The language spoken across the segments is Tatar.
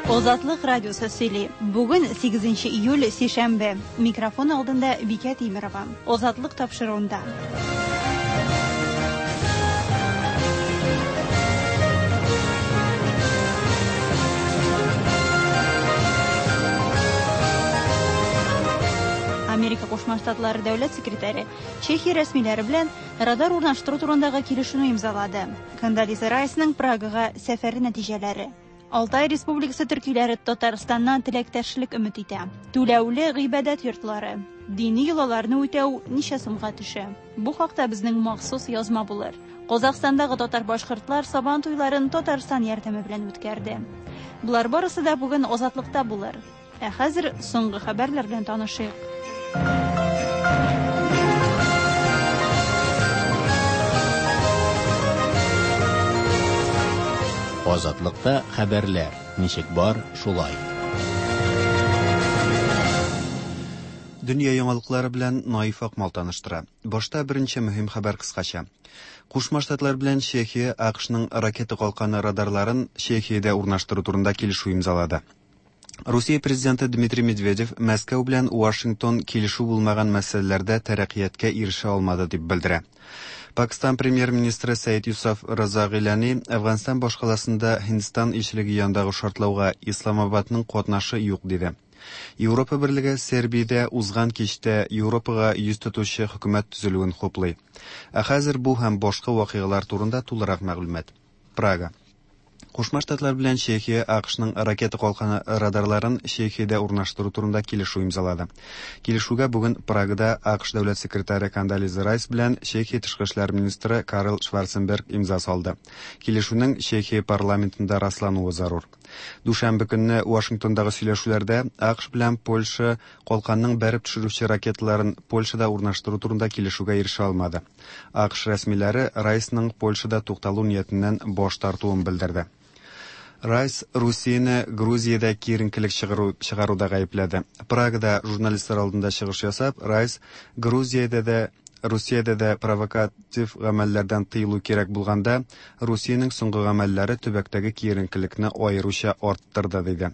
Азатлык радиосы сөйли. Бүген 8 июль, сишәмбе. Микрофон алдында Бикә Тимерова. Азатлык тапшыруында. Америка Кушма Штатлары дәүләт секретаре Чехия рәсмиләре белән радар урнаштыру турындагы килешүне имзалады. Кондолиза Райсның Прагага сәфәре нәтиҗәләре. Алтай Республикасы төркиләре Татарстаннан теләктәшлек өмет итә. Түләүле гыйбадәт йортлары. Дини йолаларны үтәү ничә сумга төшә? Бу хакта безнең махсус язма булыр. Казахстандагы татар-башкортлар Сабан туйларын Татарстан ярдәме белән үткәрде. Болар барысы да бүген Азатлыкта булыр. Ә хәзер соңгы хәбәрләр белән танышыйк. Азатлыкта хәбәрләр ничек бар, шулай. Дөнья яңалыклары белән Наиф Акмал таныштыра. Башта беренче мөһим хәбәр кыскача. Кушма Штатлар белән Чехия АКШның ракета калканы радарларын Чехиядә урнаштыру турында килешү имзалады. Русия президенты Дмитрий Медведев Мәскәү белән Вашингтон килешү булмаган мәсьәләләрдә тәрәккыятькә ирешә алмады дип белдерә. Пакистан премьер-министры Сәид Юсаф Раза Гыйлани Әфганстан башкаласында Һиндстан илчелеге янындагы шартлауга Исламабадның катнашы юк диде. Европа берлеге Сербиядә узган кичтә Европага йөз тотучы хөкүмәт төзелүен хуплый. Ә хәзер бу һәм башка вакыйгалар турында тулырак мәгълүмат. Прага. Кушма Штатлар белән Чехия АКШның ракета калканы радарларын Чехиядә урнаштыру турында килешү имзалады. Килешүгә бүген Прагада АКШ дәүләт секретаре Кондолиза Райс белән Чехия тышкы эшләр министры Карл Шварценберг имза салды. Килешүнең Чехия парламентында раслануы зарур. Дүшәмбе көнне Вашингтондагы сөйләшүләрдә АКШ белән Польша калканның бәреп төшерүче ракеталарын Польшада урнаштыру турында килешүгә ирешә алмады. АКШ рәсмиләре Райсның Польшада тукталу ниятеннән баш тартуын белдерде. Райс Русияне Грузиядә киеренкелек чыгару, чыгаруда гаепләде. Прагада журналистлар алдында чыгыш ясап, Райс Грузиядә дә Русиядә дә провокатив гамәлләрдән тыелу кирәк булганда, Русиянең соңгы гамәлләре төбәктәге киеренкелекне аеруча арттырды, диде.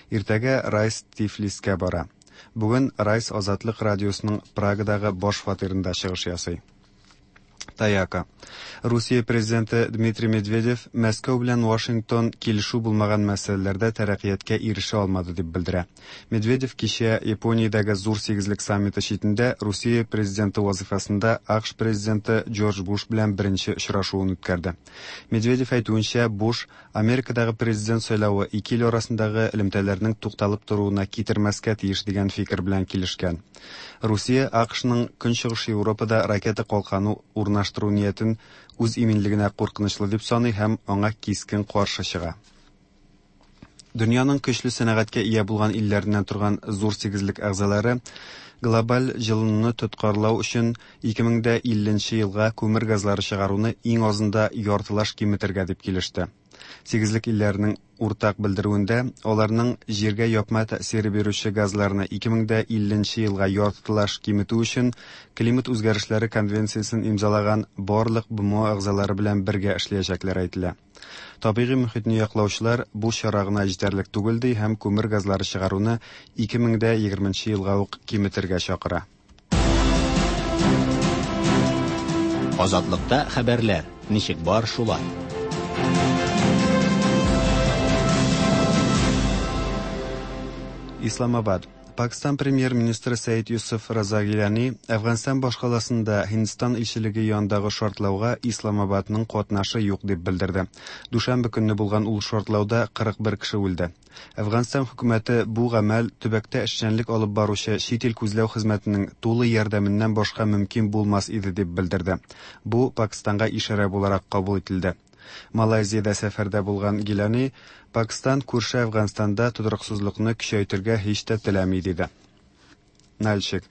Иртәгә Райс Тифлискә бара. Бүген Райс Азатлык радиосының Прагадагы баш фатирында чыгыш ясый. Таяка. Русия президенты Дмитрий Медведев Мәскәү белән Вашингтон килешү булмаган мәсьәләләрдә тәрәккыятькә ирешә алмады дип белдерә. Медведев кичә Япониядәге зур сигезлек саммиты читендә Русия президенты вазифасында АКШ президенты Джордж Буш белән беренче очрашуын үткәрде. Медведев әйтүенчә, Буш Америкадагы президент сайлавы ике ил арасындагы элемтәләрнең тукталып торуына китермәскә тиеш дигән фикер белән килешкән. Русия АКШның Көнчыгыш Европада ракета калканы урнаштыру ниятен үз иминлегенә куркынычлы дип саный һәм аңа кискен каршы чыга. Дөньяның көчле сәнәгатькә ия булган илләреннән торган зур сигезлек әгъзалары глобаль җылынуны тоткарлау өчен 2050 елга күмер газлары чыгаруны иң азында яртылаш киметергә дип килеште. Сигезлек илләренең уртак белдерүендә аларның җиргә япма тәэсире бирүче газларны 2050 елга яртылаш киметү өчен климат үзгәрешләре конвенциясен имзалаган барлык БМО әгъзалары белән бергә эшләячәкләре әйтелә. Табигый мөхитне яклаучылар бу чара гына җитәрлек түгел ди һәм күмер газлары чыгаруны 2020 елга ук киметергә чакыра. Азатлыкта хәбәрләр ничек бар, шулай. Исламабад. Пакистан премьер-министры Сәид Юсуф Раза Гилани Әфганстан башкаласында Һиндстан илчелеге янындагы шартлауга Исламабадның катнашы юк дип белдерде. Дүшәмбе көнне булган ул шартлауда 41 кеше үлде. Әфганстан хөкүмәте бу гамәл төбәктә эшчәнлек алып баручы чит ил күзләү хезмәтенең тулы ярдәменнән башка мөмкин булмас иде дип белдерде. Бу Пакистанга ишарә буларак кабул ителде. Малайзиядә сәфәрдә булган Гилани Пакистан күрше Әфганстанда тотрыксызлыкны көчәйтергә һич тә теләми диде. Нальчик.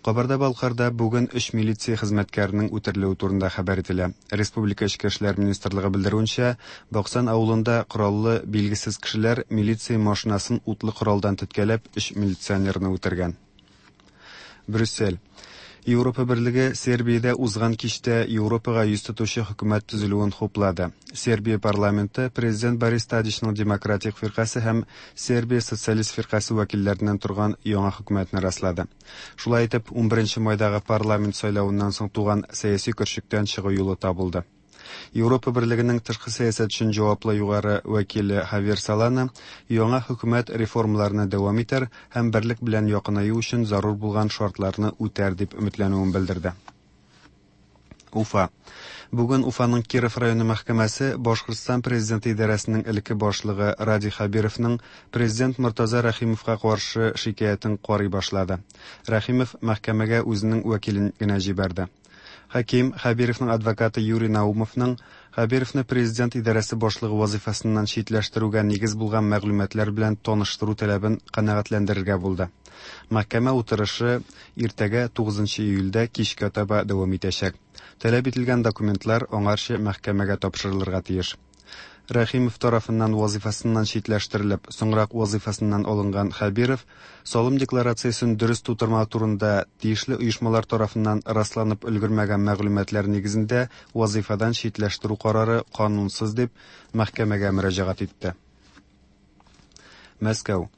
Кабарда-Балкарда бүген өч милиция хезмәткәренең үтерелүе турында хәбәр ителә. Республика Эчке эшләр министрлыгы белдерүенчә, Баксан авылында кораллы билгесез кешеләр милиция машинасын утлы коралдан теткәләп өч милиционерны үтергән. Брюссель. Европа берлеге Сербиядә узган кичтә Европага йөз тотучы хөкүмәт төзелүен хуплады. Сербия парламенты президент Борис Тадичның Демократик фиркасе һәм Сербия социалист фиркасе вәкилләреннән торган яңа хөкүмәтне раслады. Шулай итеп, 11 майдагы парламент сайлавыннан соң туган сәяси көрчектән чыгу юлы табылды. Европа берлегенең тышкы сәясәт өчен җаваплы югары вәкиле Хавьер Солана яңа хөкүмәт реформаларны дәвам итәр һәм берлек белән якынаю өчен зарур булган шартларны үтәр дип өметләнүен белдерде. Уфа. Бүген Уфаның Киров районы мәхкәмәсе Башкортстан президенты идарәсенең элекке башлыгы Радий Хәбировның президент Мортаза Рәхимовка каршы шикаятен карый башлады. Рәхимов мәхкәмәгә үзенең вәкилен генә җибәрде. Хаким Хәбировның адвокаты Юрий Наумовның Хәбировны президент идарәсе башлыгы вазыйфасыннан читләштерүгә нигез булган мәгълүматлар белән таныштыру таләбен канәгатьләндерергә булды. Мәхкәмә утырышы иртәгә 9 июльдә кичкә таба дәвам итәчәк. Таләп ителгән документлар аңарчы мәхкәмәгә тапшырылырга тиеш. Рәхимов тарафыннан вазыйфасыннан читләштерелеп, соңрак вазыйфасыннан алынган Хәбиров салым декларациясен дөрес тутырмау турында тиешле оешмалар тарафыннан расланып өлгермәгән мәгълүматлар нигезендә вазыйфадан читләштерү карары канунсыз дип мәхкәмәгә мөрәҗәгать итте. Мәскәү.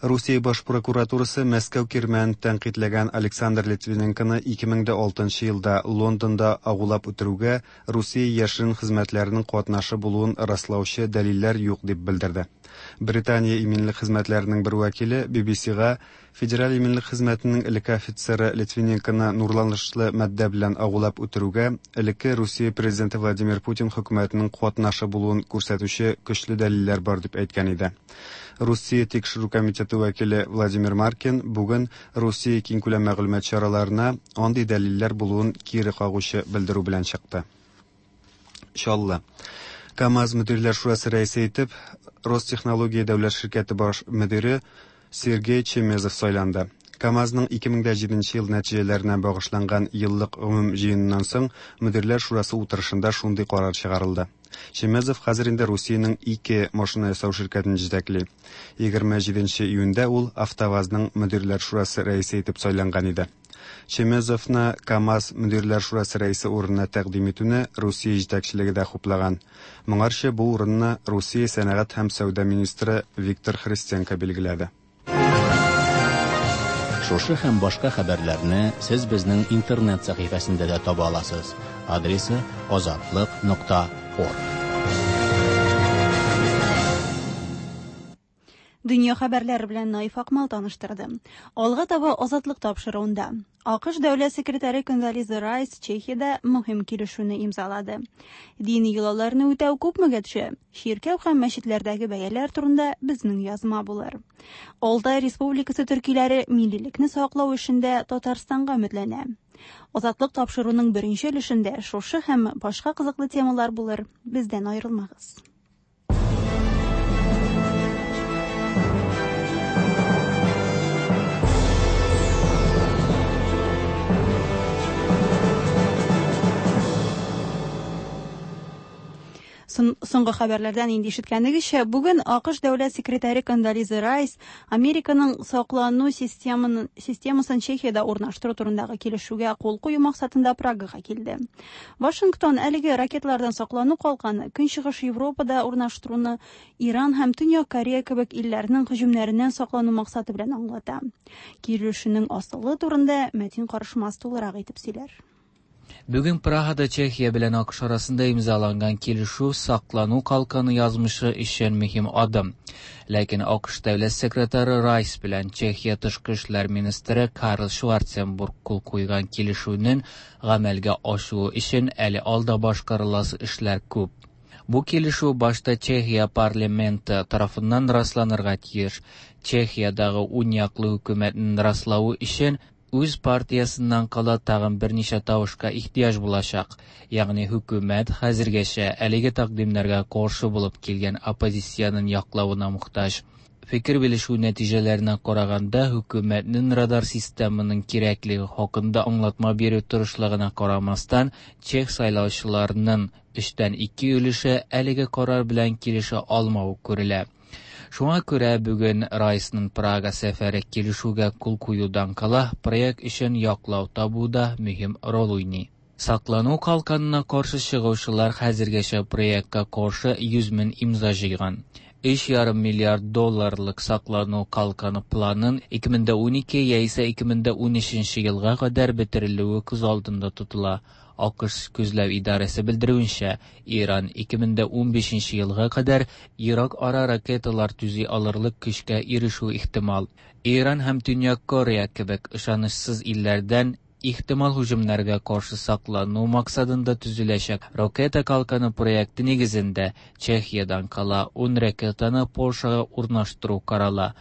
Русия баш прокуратурасы Мәскәү кирмәнен тәнкыйтьләгән Александр Литвиненконы 2006 елда Лондонда агулап үтерүгә Русия яшерен хезмәтләренең катнашы булуын раслаучы дәлилләр юк дип белдерде. Британия иминлек хезмәтләренең бер вәкиле BBC-га Федераль иминлек хезмәтенең элекке офицеры Литвиненконы нурланышлы матдә белән агулап үтерүгә элекке Русия президенты Владимир Путин хөкүмәтенең катнашы булуын күрсәтүче көчле дәлилләр бар дип әйткән иде. Русия тикшерү комитеты вәкиле Владимир Маркин бүген Русия киңкүләм мәгълүмат чараларына андый дәлилләр булуын кире кагучы белдерү белән чыкты. Чаллы. КАМАЗ мөдирләр шурасы рәисе итеп Ростехнология дәүләт ширкәте баш мөдире Сергей Чемезов сайланды. КАМАЗның 2007 ел нәтиҗәләренә багышланган еллык гомум җыеныннан соң мөдирләр шурасы утырышында шундый карар чыгарылды. Чемезов хәзер инде Русиянең ике машина ясау ширкәтен җитәкли. 27 июньдә ул АвтоВАЗның мөдирләр шурасы рәисе итеп сайланган иде. Чемезовны КАМАЗ мөдирләр шурасы рәисе урынына тәкъдим итүне Русия җитәкчелеге дә хуплаган. Моңарчы бу урынны Русия сәнәгать һәм сәүдә министры Виктор Христенко билгеләде. Шушы һәм башка хәбәрләрне сез безнең интернет сәхифәсендә дә таба аласыз. Адресы azatliq.org. Дөнья хәбәрләре белән Наиф Акмал таныштырды. Алга таба Азатлык тапшыруында. АКШ дәүләт секретаре Кондолиза Райс Чехиядә мөһим килешүне имзалады. Дини йолаларны үтәү күпмегә төшә? Чиркәү һәм мәчетләрдәге бәяләр турында безнең язма булыр. Алтай Республикасы төркиләре миллилекне саклау эшендә Татарстанга өметләнә. Азатлык тапшыруның беренче өлешендә шушы һәм башка кызыклы темалар булыр. Бездән аерылмагыз. Соңгы хәбәрләрдән инде ишеткәнегезчә, бүген АКШ дәүләт секретаре Кондолиза Райс Американың саклану системасын Чехиядә урнаштыру турындагы килешүгә кул кую максатында Прагага килде. Вашингтон әлеге ракеталардан саклану калканы Көнчыгыш Европада урнаштыруны Иран һәм Төньяк Корея кебек илләрнең һөҗүмнәреннән саклану максаты белән аңлата. Килешүнең асылы турында Мәтин Карышмас тулырак итеп сөйләр. Бүген Прагада Чехия белән АКШ арасында имзаланган килешү саклану калканы язмышы өчен мөһим адым. Ләкин АКШ дәүләт секретаре Райс белән Чехия тышкы эшләр министры Карл Шварценбург кул куйган килешүнең гамәлгә ашуы өчен әле алда башкарыласы эшләр күп. Бу килешү башта Чехия парламенты тарафыннан расланырга тиеш. Чехиядагы уң яклы хөкүмәтнең раславы өчен үз партиясыннан кала тагын берничә тавышка ихтыяҗ булачак. Ягъни хөкүмәт хәзергәчә әлеге тәкъдимнәргә каршы булып килгән оппозициянең яклавына мохтаҗ. Фикер белешү нәтиҗәләренә караганда, хөкүмәтнең радар системының кирәклеге хакында аңлатма бирү тырышлыгына карамастан, чех сайлаучыларының 2/3 өлеше әлеге карар белән килешә алмавы күрелә. Шуңа күрә бүген Райсның Прага сәфәре килешүгә кул куюдан кала проект өчен яклау табуда мөһим роль уйный. Саклану калканына каршы чыгучылар хәзергәчә проектка каршы 100 мең имза җыйган. 3,5 миллиард долларлык саклану калканы планын 2012 яисә 2013 елга кадәр бетерелүе күз алдында тотыла. АКШ күзләү идарәсе белдерүенчә, Иран 2015 елга кадәр ерак ара ракеталар төзи алырлык көчкә ирешү ихтимал. Иран һәм Төньяк Корея кебек ышанычсыз илләрдән ихтимал һөҗүмнәргә каршы саклану максатында төзеләчәк ракета калканы проекты нигезендә Чехиядән кала 10 ракетаны Польшага урнаштыру карала.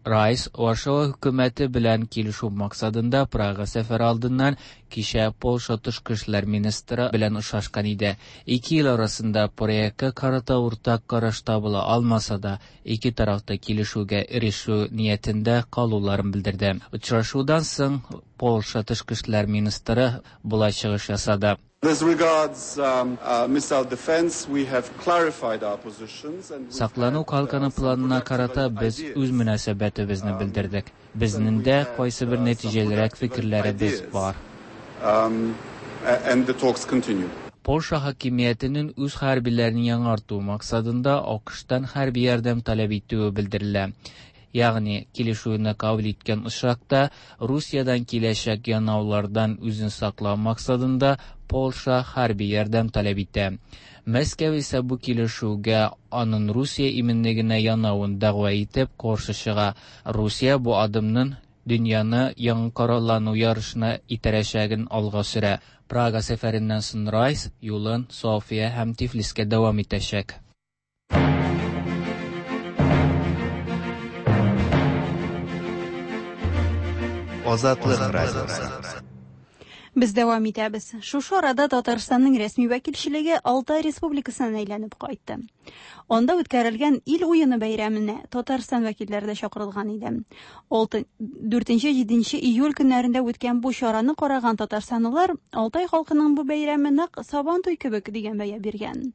Райс Варшава хөкүмәте белән килешү максатында Прага сәфәре алдыннан кичә Польша тышкы эшләр министры белән очрашкан иде. Ике ил арасында проектка карата уртак караш табыла алмаса да, ике тараф та килешүгә ирешү ниятендә калуларын белдерде. Очрашудан соң Польша тышкы эшләр министры болай чыгыш ясады. As regards missile defense, we have clarified our positions and we've Саклану had калканы some планына productive карата без ideas. үз мөнәсәбәтебезне белдердек. Безнең And дә we've had кайсыбер some нәтиҗәлерәк productive фикерләребез ideas. бар. And the talks continue. Польша хакимиятенең үз хәрбиләрен яңарту максатында АКШтан хәрби ярдәм таләп итүе белдерелә. Ягъни килешүне кабул иткән очракта Русиядән киләчәк янаулардан үзен саклау максатында Польша хәрби ярдәм таләп итә. Мәскәү исә бу килешүгә аның Русия иминлегенә янавын дәгъва итеп каршы чыга. Русия бу адымның дөньяны яңа кораллану ярышына итәрәчәген алга сөрә. Прага сәфәреннән соң Райс юлын София һәм Тифлискә дәвам итәчәк. Азатлык радиосы. Без дәвам итәбез. Шушы арада Татарстанның рәсми вәкилчелеге Алтай Республикасыннан әйләнеп кайтты. Анда үткәрелгән ил уены бәйрәменә Татарстан вәкилләре дә чакырылган иде. 4-7 июль көннәрендә үткән бу чараны караган татарстанлылар Алтай халкының бу бәйрәме нәкъ Сабантуй кебек дигән бәя биргән.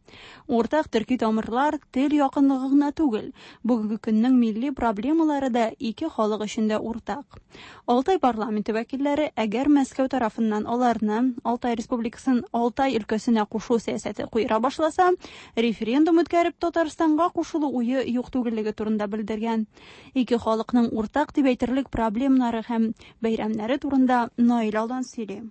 Уртак төрки тамырлар, тел якынлыгы гына түгел, бүгенге көннең милли проблемалары да ике халык өчен дә уртак. Алтай парламенты вәкилләре әгәр Мәскәү тарафыннан аларны Алтай Республикасын Алтай өлкәсенә кушу сәясәте куера башласа, референдум үткәреп Татарстанга кушылу уе юк түгеллеге турында белдергән. Ике халыкның уртак дип әйтерлек проблемнары һәм бәйрәмнәре турында Наил Алдан сөйли.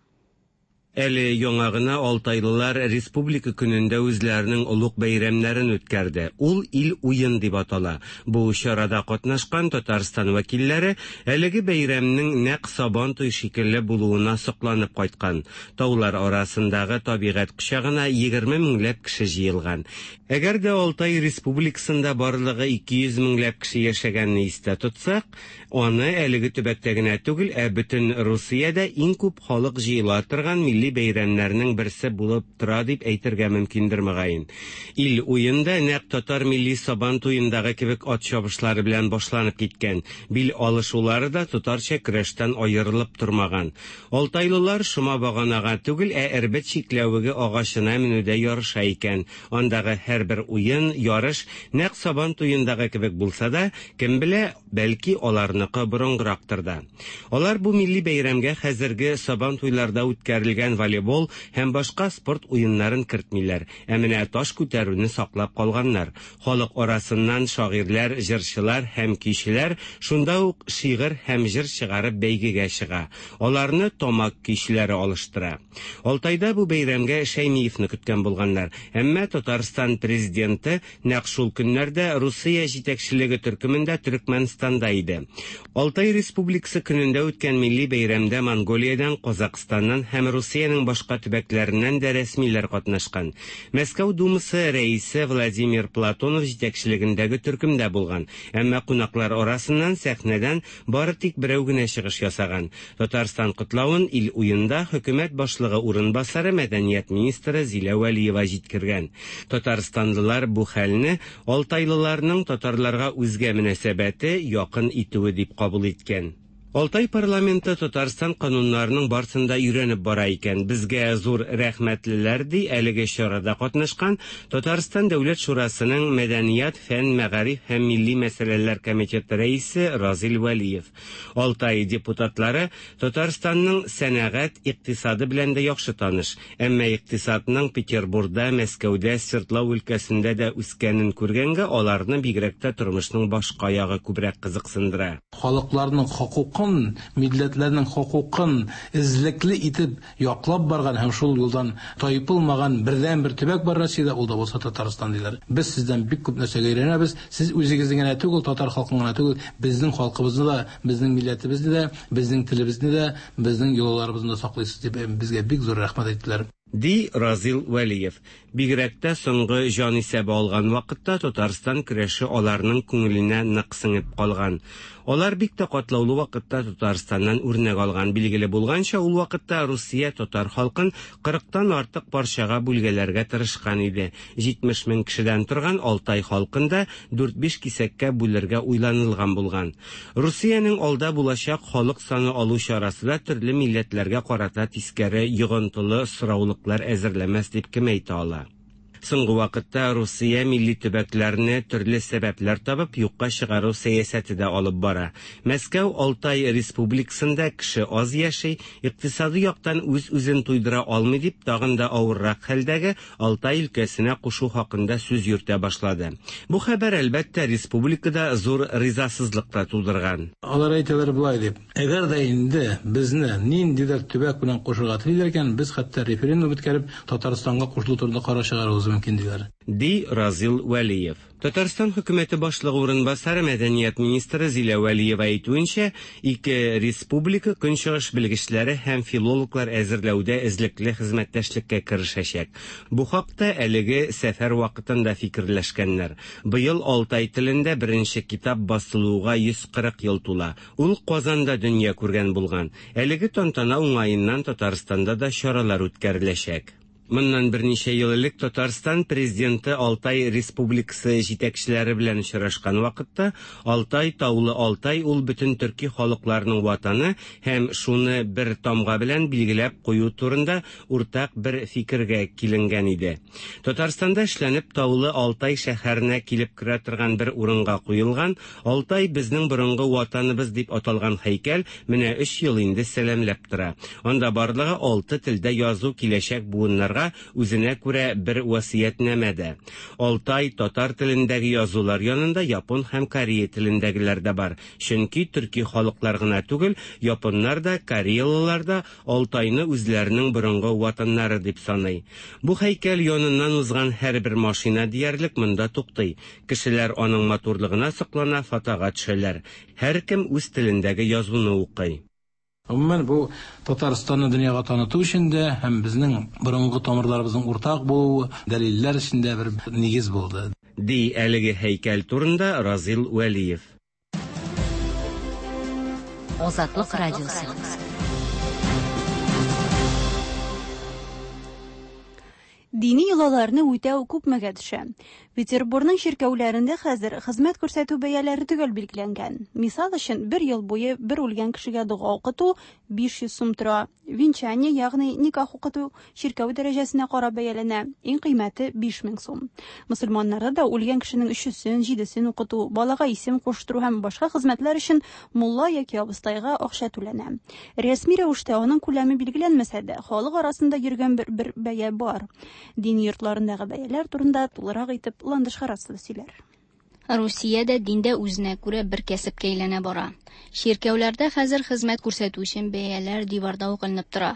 Әле яңа гына алтайлылар Республика көнендә үзләренең олуг бәйрәмнәрен үткәрде. Ул ил уен дип атала. Бу чарада катнашкан Татарстан вәкилләре әлеге бәйрәмнең нәкъ Сабантуй шикелле булуына сокланып кайткан. Таулар арасындагы табигать кочагына 20 меңләп кеше җыелган. Әгәр дә Алтай Республикасында барлыгы 200 меңләп кеше яшәгәнне истә тотсак, аны әлеге төбәктә генә түгел, ә бөтен Русиядә иң күп халык җыела торган милли бәйрәмнәрнең берсе булып тора дип әйтергә мөмкиндер мөгаен. Ил уенда нәкъ татар милли Сабан туендагы кебек ат чабышлары белән башланып киткән. Бил алышулары да татарча көрәштән аерылып тормаган. Алтайлылар шома баганага түгел, ә эрбет чикләвеге агачына менүдә ярыша икән. Андагы һәрбер уен, ярыш нәкъ Сабан туендагы кебек булса да, кем белә, бәлки аларныкы борынгырактыр да. Алар бу милли бәйрәмгә хәзерге Сабан туйларда үткәрелгән волейбол һәм башка спорт уеннарын кертмиләр. Ә менә таш күтәрүне саклап калганнар. Халык арасыннан шагыйрьләр, җырчылар һәм көйчеләр шунда ук шигырь һәм җыр чыгарып бәйгегә чыга. Аларны тамак көйчеләре алыштыра. Алтайда бу бәйрәмгә Шәймиевны көткән булганнар. Әмма Татарстан президенты нәкъ шул көннәрдә Русия җитәкчелеге төркемендә Төркмәнстанда иде. Алтай Республикасы көнендә үткән милли бәйрәмдә Монголиядән, Казакъстаннан һәм Русиянең башка төбәкләреннән дә рәсмиләр катнашкан. Мәскәү Думасы рәисе Владимир Платонов җитәкчелегендәге төркемдә булган. Әмма кунаклар арасыннан сәхнәдән бары тик берәү генә чыгыш ясаган. Татарстан котлавын ил уенда хөкүмәт башлыгы урынбасары мәдәният министры Зилә Вәлиева җиткергән. Татарстанлылар бу хәлне алтайлыларның татарларга үзгә мөнәсәбәте якын итүе дип кабул иткән. Алтай парламенты Татарстан кануннарының барсын да өйрәнеп бара икән. Безгә зур рәхмәтлеләр, ди әлеге чарада катнашкан Татарстан Дәүләт Шурасының Мәдәният, фән, мәгариф һәм милли мәсьәләләр комитеты рәисе Разил Вәлиев. Алтай депутатлары Татарстанның сәнәгать, икътисады белән дә яхшы таныш. Әмма икътисадның Петербурда, Мәскәүдә, Свердлау өлкәсендә дә үскәнен күргәнгә, аларны бигрәк тә тормышның башка ягы күбрәк кызыксындыра. Халыкларның хокукын, милләтләрнең хокукын эзлекле итеп яклап барган һәм шул юлдан тайпылмаган бердәнбер төбәк бар Россиядә, ул да булса Татарстан, диләр. Без сездән бик күп нәрсәгә өйрәнәбез. Сез үзегезне генә түгел, татар халкын гына түгел, безнең халкыбызны да, безнең милләтебезне дә, безнең телебезне дә, безнең йолаларыбызны да саклыйсыз, дип безгә бик зур рәхмәт әйттеләр. Ди Разил Вәлиев. Бигрәк тә соңгы җанисәбе алган вакытта Татарстан көрәше аларның күңеленә нык сеңеп калган. Алар бик тә катлаулы вакытта Татарстаннан үрнәк алган. Билгеле булганча, ул вакытта Русия татар халкын кырыктан артык парчага бүлгәләргә тырышкан иде. 70 мең кешедән торган Алтай халкын да дүрт-биш кисәккә бүлергә уйланылган булган. Русиянең алда булачак халык саны алу чарасы да төрле милләтләргә карата тискәре йогынтылы сораулыклар әзерләмәс дип кем әйтә ала? Соңгы вакытта Русия милли төбәкләрне төрле сәбәпләр табып юкка чыгару сәясәте дә алып бара. Мәскәү Алтай республикасында кеше аз яши, икътисади яктан үз-үзен туйдыра алмый дип тагын да авыррак хәлдәге Алтай өлкәсенә кушу хакында сүз йөртә башлады. Бу хәбәр, әлбәттә, республикада зур ризасызлык та тудырган. Алар әйтәләр болай дип: Әгәр дә инде безне ниндидер төбәк белән кушырга телиләр икән, без хәтта референдум үткәреп, Татарстанга кушылу турында карар чыгаруыбыз мөмкин, диләр. Ди Разил Вәлиев. Татарстан хөкүмәте башлыгы урынбасары, мәдәният министры Зилә Вәлиева әйтүенчә, ике республика көнчыгыш белгечләре һәм филологлар әзерләүдә эзлекле хезмәттәшлеккә керешәчәк. Бу хакта әлеге сәфәр вакытында фикерләшкәннәр. Быел Алтай телендә беренче китап басылуга 140 ел тула. Ул Казанда дөнья күргән булган. Әлеге тантана уңаеннан Татарстанда да чаралар үткәреләчәк. Моннан берничә ел элек Татарстан президенты Алтай республикасы җитәкчеләре белән очрашкан вакытта Алтай, таулы Алтай ул бөтен төрки халыкларның ватаны һәм шуны бер тамга белән билгеләп кую турында уртак бер фикергә киленгән иде. Татарстанда эшләнеп таулы Алтай шәһәренә килеп керә торган бер урынга куелган Алтай безнең борынгы ватаныбыз дип аталган һәйкәл менә 3 ел инде сәламләп тора. Анда барлыгы 6 телдә язу киләчәк буыннарга үзенә күрә бер васыятьнамә дә. Алтай татар телендәге язулар янында япон һәм корея телендәгеләр дә бар. Чөнки төрки халыклар гына түгел, японнар да, кореялылар да Алтайны үзләренең борынгы ватаннары дип саный. Бу һәйкәл яныннан узган һәрбер машина диярлек монда туктый. Кешеләр аның матурлыгына соклана, фотога төшәләр. Һәркем үз телендәге язуны укый. Гомумән, бу Татарстанны дөньяга таныту өчен дә һәм безнең борынгы тамырларыбызның уртак булуы дәлилләр өчен дә бер нигез булды. Ди әлеге һәйкәл турында Разил Вәлиев. Азатлык радиосы. Дини йолаларны үтәү күпмегә төшә? Петербурның чиркәүләрендә хәзер хезмәт күрсәтү бәяләре төгәл билгеләнгән. Мисал өчен, бер ел буе бер үлгән кешегә дога укыту 500 сум тора. Венчание, ягъни никах укыту чиркәү дәрәҗәсенә карап бәяләнә. Иң кыйммәте 5000 сум. Мөселманнарда да үлгән кешенең өчесен, җидесен укыту, балага исем куштыру һәм башка хезмәтләр өчен мулла яки абыстайга акча түләнә. Рәсми рәвештә аның күләме билгеләнмәсә дә, халык арасында йөргән бер, бер бәя бар. Дини йортларындагы бәяләр турында тулырак итеп Ландыш Харасова сөйләр. Русиядә диндә үзенә күрә бер кәсепкә әйләнә бара. Чиркәүләрдә хәзер хезмәт күрсәтү өчен бәяләр диварда ук эленеп тора.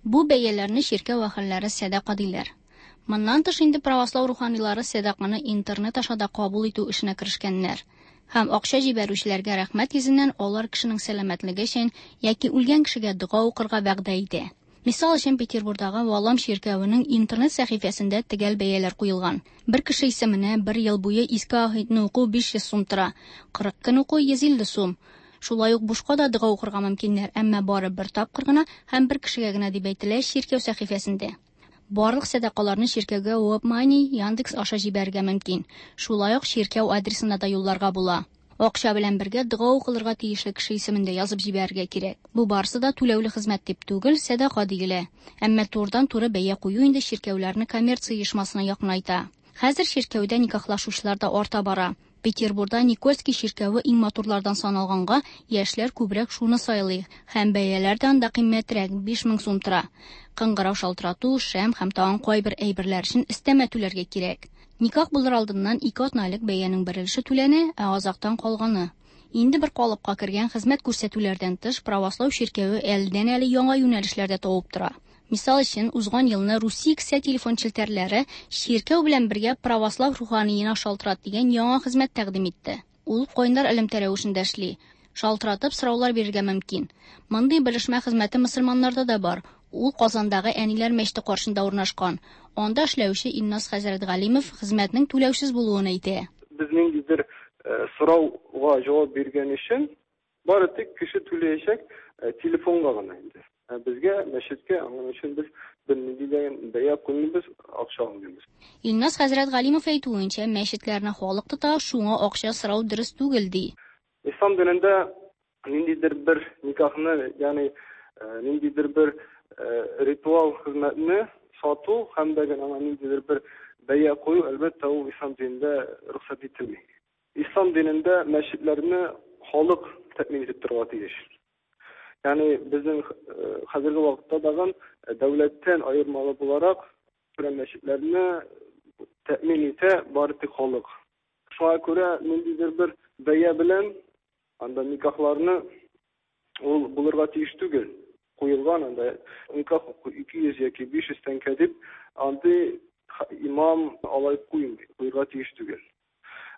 Бу бәяләрне чиркәү әһелләре сәдака диләр. Моннан тыш инде правослау руханилары сәдаканы интернет аша да кабул итү эшенә керешкәннәр. Һәм акча җибәрүчеләргә рәхмәт йөзеннән алар кешенең сәламәтлеге өчен яки үлгән кешегә дога укырга вәгъдә итә. Мисал өчен, Петербурдагы Валам чиркәвенең интернет сәхифәсендә төгәл бәяләр куелган. Бер кеше исеменә бер ел буе Иске Аһидны уку 500 сум тора, 40 көн уку 150 сум. Шулай ук бушка да дога укырга мөмкиннәр, әмма бары бер тапкыр гына һәм бер кешегә генә дип әйтелә чиркәү сәхифәсендә. Барлык сәдакаларны чиркәүгә WebMoney, Яндекс аша җибәрергә мөмкин. Шулай ук чиркәү адресына да юлларга була. Акча белән бергә дога укылырга тиешле кеше исемен дә язып җибәрергә кирәк. Бу барысы да түләүле хезмәт дип түгел, сәдака диелә. Әмма турыдан-туры бәя кую инде чиркәүләрне коммерция оешмасына якынайта. Хәзер чиркәүдә никахлашучылар да арта бара. Петербурда Никольский чиркәве иң матурлардан саналганга, яшьләр күбрәк шуны сайлый һәм бәяләр дә анда кыйммәтрәк, 5000 сум тора. Кыңгырау шалтырату, шәм һәм тагын кайбер әйберләр өчен өстәмә түләргә кирәк. Никах булыр алдыннан ике атна элек бәянең бер өлеше түләнә, ә азактан калганы. Инде бер калыпка кергән хезмәт күрсәтүләрдән тыш, правослау чиркәве әледән-әле яңа юнәлешләр дә табып тора. Мисал өчен, узган елны Русия кесә телефон челтәрләре чиркәү белән бергә православ руханиена шалтырат дигән яңа хезмәт тәкъдим итте. Ул кайнар элемтә рәвешендә эшли. Шалтыратып сораулар бирергә мөмкин. Мондый белешмә хезмәте мөселманнарда да бар. Ул Казандагы Әниләр мәчете каршында урнашкан. Анда эшләүче Илназ хәзрәт Галимов хезмәтнең түләүсез булуын әйтә. Без ниндидер сорауга җавап биргән өчен бары тик кеше түләячәк телефонга гына инде. Ә безгә, мәчеткә, аның өчен без бернинди дә бәя куймыйбыз, акча алмыйбыз. Илназ хәзрәт Галимов әйтүенчә, мәчетләрне халык тота, шуңа акча сорау дөрес түгел, ди. Ислам динендә ниндидер бер никахны, ягъни ниндидер бер ритуал хезмәтне сату һәм дә аңа ниндидер бер бәя кую, әлбәттә, ул ислам динендә рөхсәт ителми. Ислам динендә мәчетләрне халык тәэмин итеп торырга тиеш. Ягъни безнең хәзерге вакытта тагын дәүләттән аермалы буларак мәчетләрне тәэмин итә бары тик халык. Шуңа күрә ниндидер бер бәя белән анда никахларны ул булырга тиеш түгел. Куелган анда никах 200 яки 500 тәңкә дип, андый имам алай куймый, куярга тиеш түгел.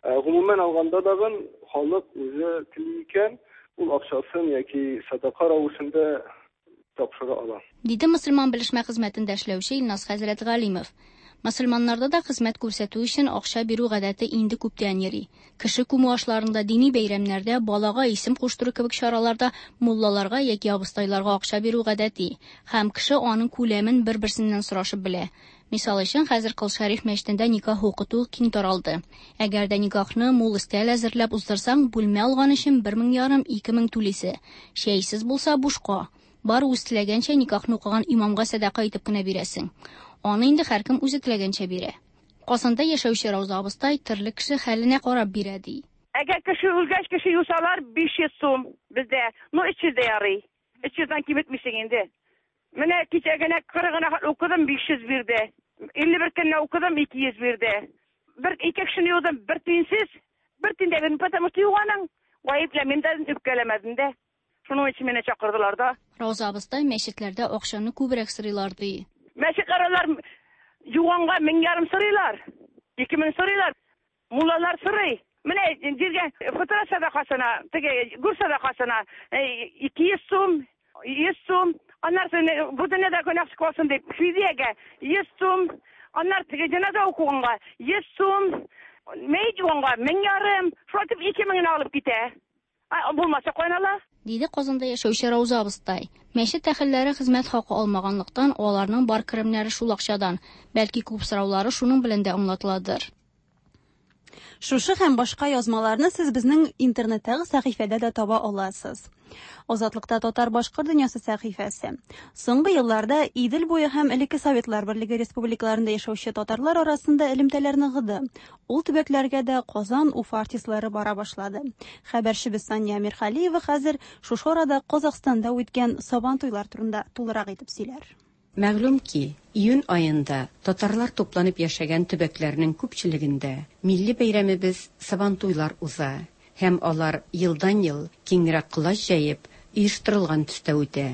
Гомумән алганда дагын халык үзе тели икән, ул акчасын яки садака рәвешендә тапшыра ала. Диде мөселман белешмә хезмәтендә эшләүче Илназ хәзрәт Галимов. Мөселманнарда да хезмәт күрсәтү өчен акча бирү гадәте инде күптән йөри. Кеше күмү ашларында, дини бәйрәмнәрдә, балага исем куштыру кебек чараларда муллаларга яки абыстайларга акча бирү гадәти. Һәм кеше аның күләмен бер-берсеннән сорашып белә. Мисал өчен, хәзер Кол Шәриф мәчетендә никах укыту киң таралды. Әгәр дә никахны мул өстәл әзерләп уздырсаң, бүлмә алган өчен 1500, 2000 түлисе. Чәйсез булса бушка. Бар үз теләгәнчә никахны укыган имамга сәдака итеп кенә бирәсең. Аны инде һәркем үзе теләгәнчә бирә. Казанда яшәүче Рауза абыстай төрле кеше хәленә карап бирә ди. Әгәр кеше үлгәч, кеше юсалар 500 сум бездә. Ну 300 дә ярый. 300-дән киметмисең инде. Менә кичә генә 40 гына укыдым, 500 бирде. 51 көнне укыдым, 200 бирде. Бер ике кешене юдым, бер тиенсез, бер тиен дә бирмәдем, потому что юганың. Гаепләмим дә, үпкәләмәдем дә. Шуның өчен мине чакырдылар да. Рауза абыстай мәчетләрдә акчаны күбрәк сорыйлар ди. Мәчетләр алар юганга 1500 сорыйлар. 2000 сорыйлар. Муллалар сорый. Менә җиргә фытра садакасына, теге гүр садакасына 200 сум, 100 сум, аннары бу дөньяда гөнаһ калсын дип фидиягә 100 сум, аннары теге җеназа укуганга 100 сум, мәет юганга 1500, шулай итеп 2000 алып китә. Булмаса кайнала. Диде Казанда яшәүче Рауза абыстай. Мәчет әһелләре хезмәт хакы алмаганлыктан, аларның бар керемнәре шул акчадан. Бәлки күп сораулары шуның белән дә аңлатыладыр. Шушы һәм башка язмаларны сез безнең интернеттагы сәхифәдә дә таба аласыз. Азатлыкта татар башкорт дөньясы сәхифәсе. Соңгы елларда Идел буе һәм элекке Советлар Берлеге республикаларында яшәүче татарлар арасында элемтәләр ныгыды. Ул төбәкләргә дә Казан, Уфа артистлары бара башлады. Хәбәрчебез Сания Мирхалиева хәзер шушы арада Казахстанда үткән Сабан туйлар турында тулырак итеп сөйләр. Мәгълүм ки, июнь аенда татарлар тупланып яшәгән төбәкләрнең күпчелегендә милли бәйрәмебез Сабантуйлар уза һәм алар елдан-ел киңрәк колач җәеп, оештырылган төстә үтә.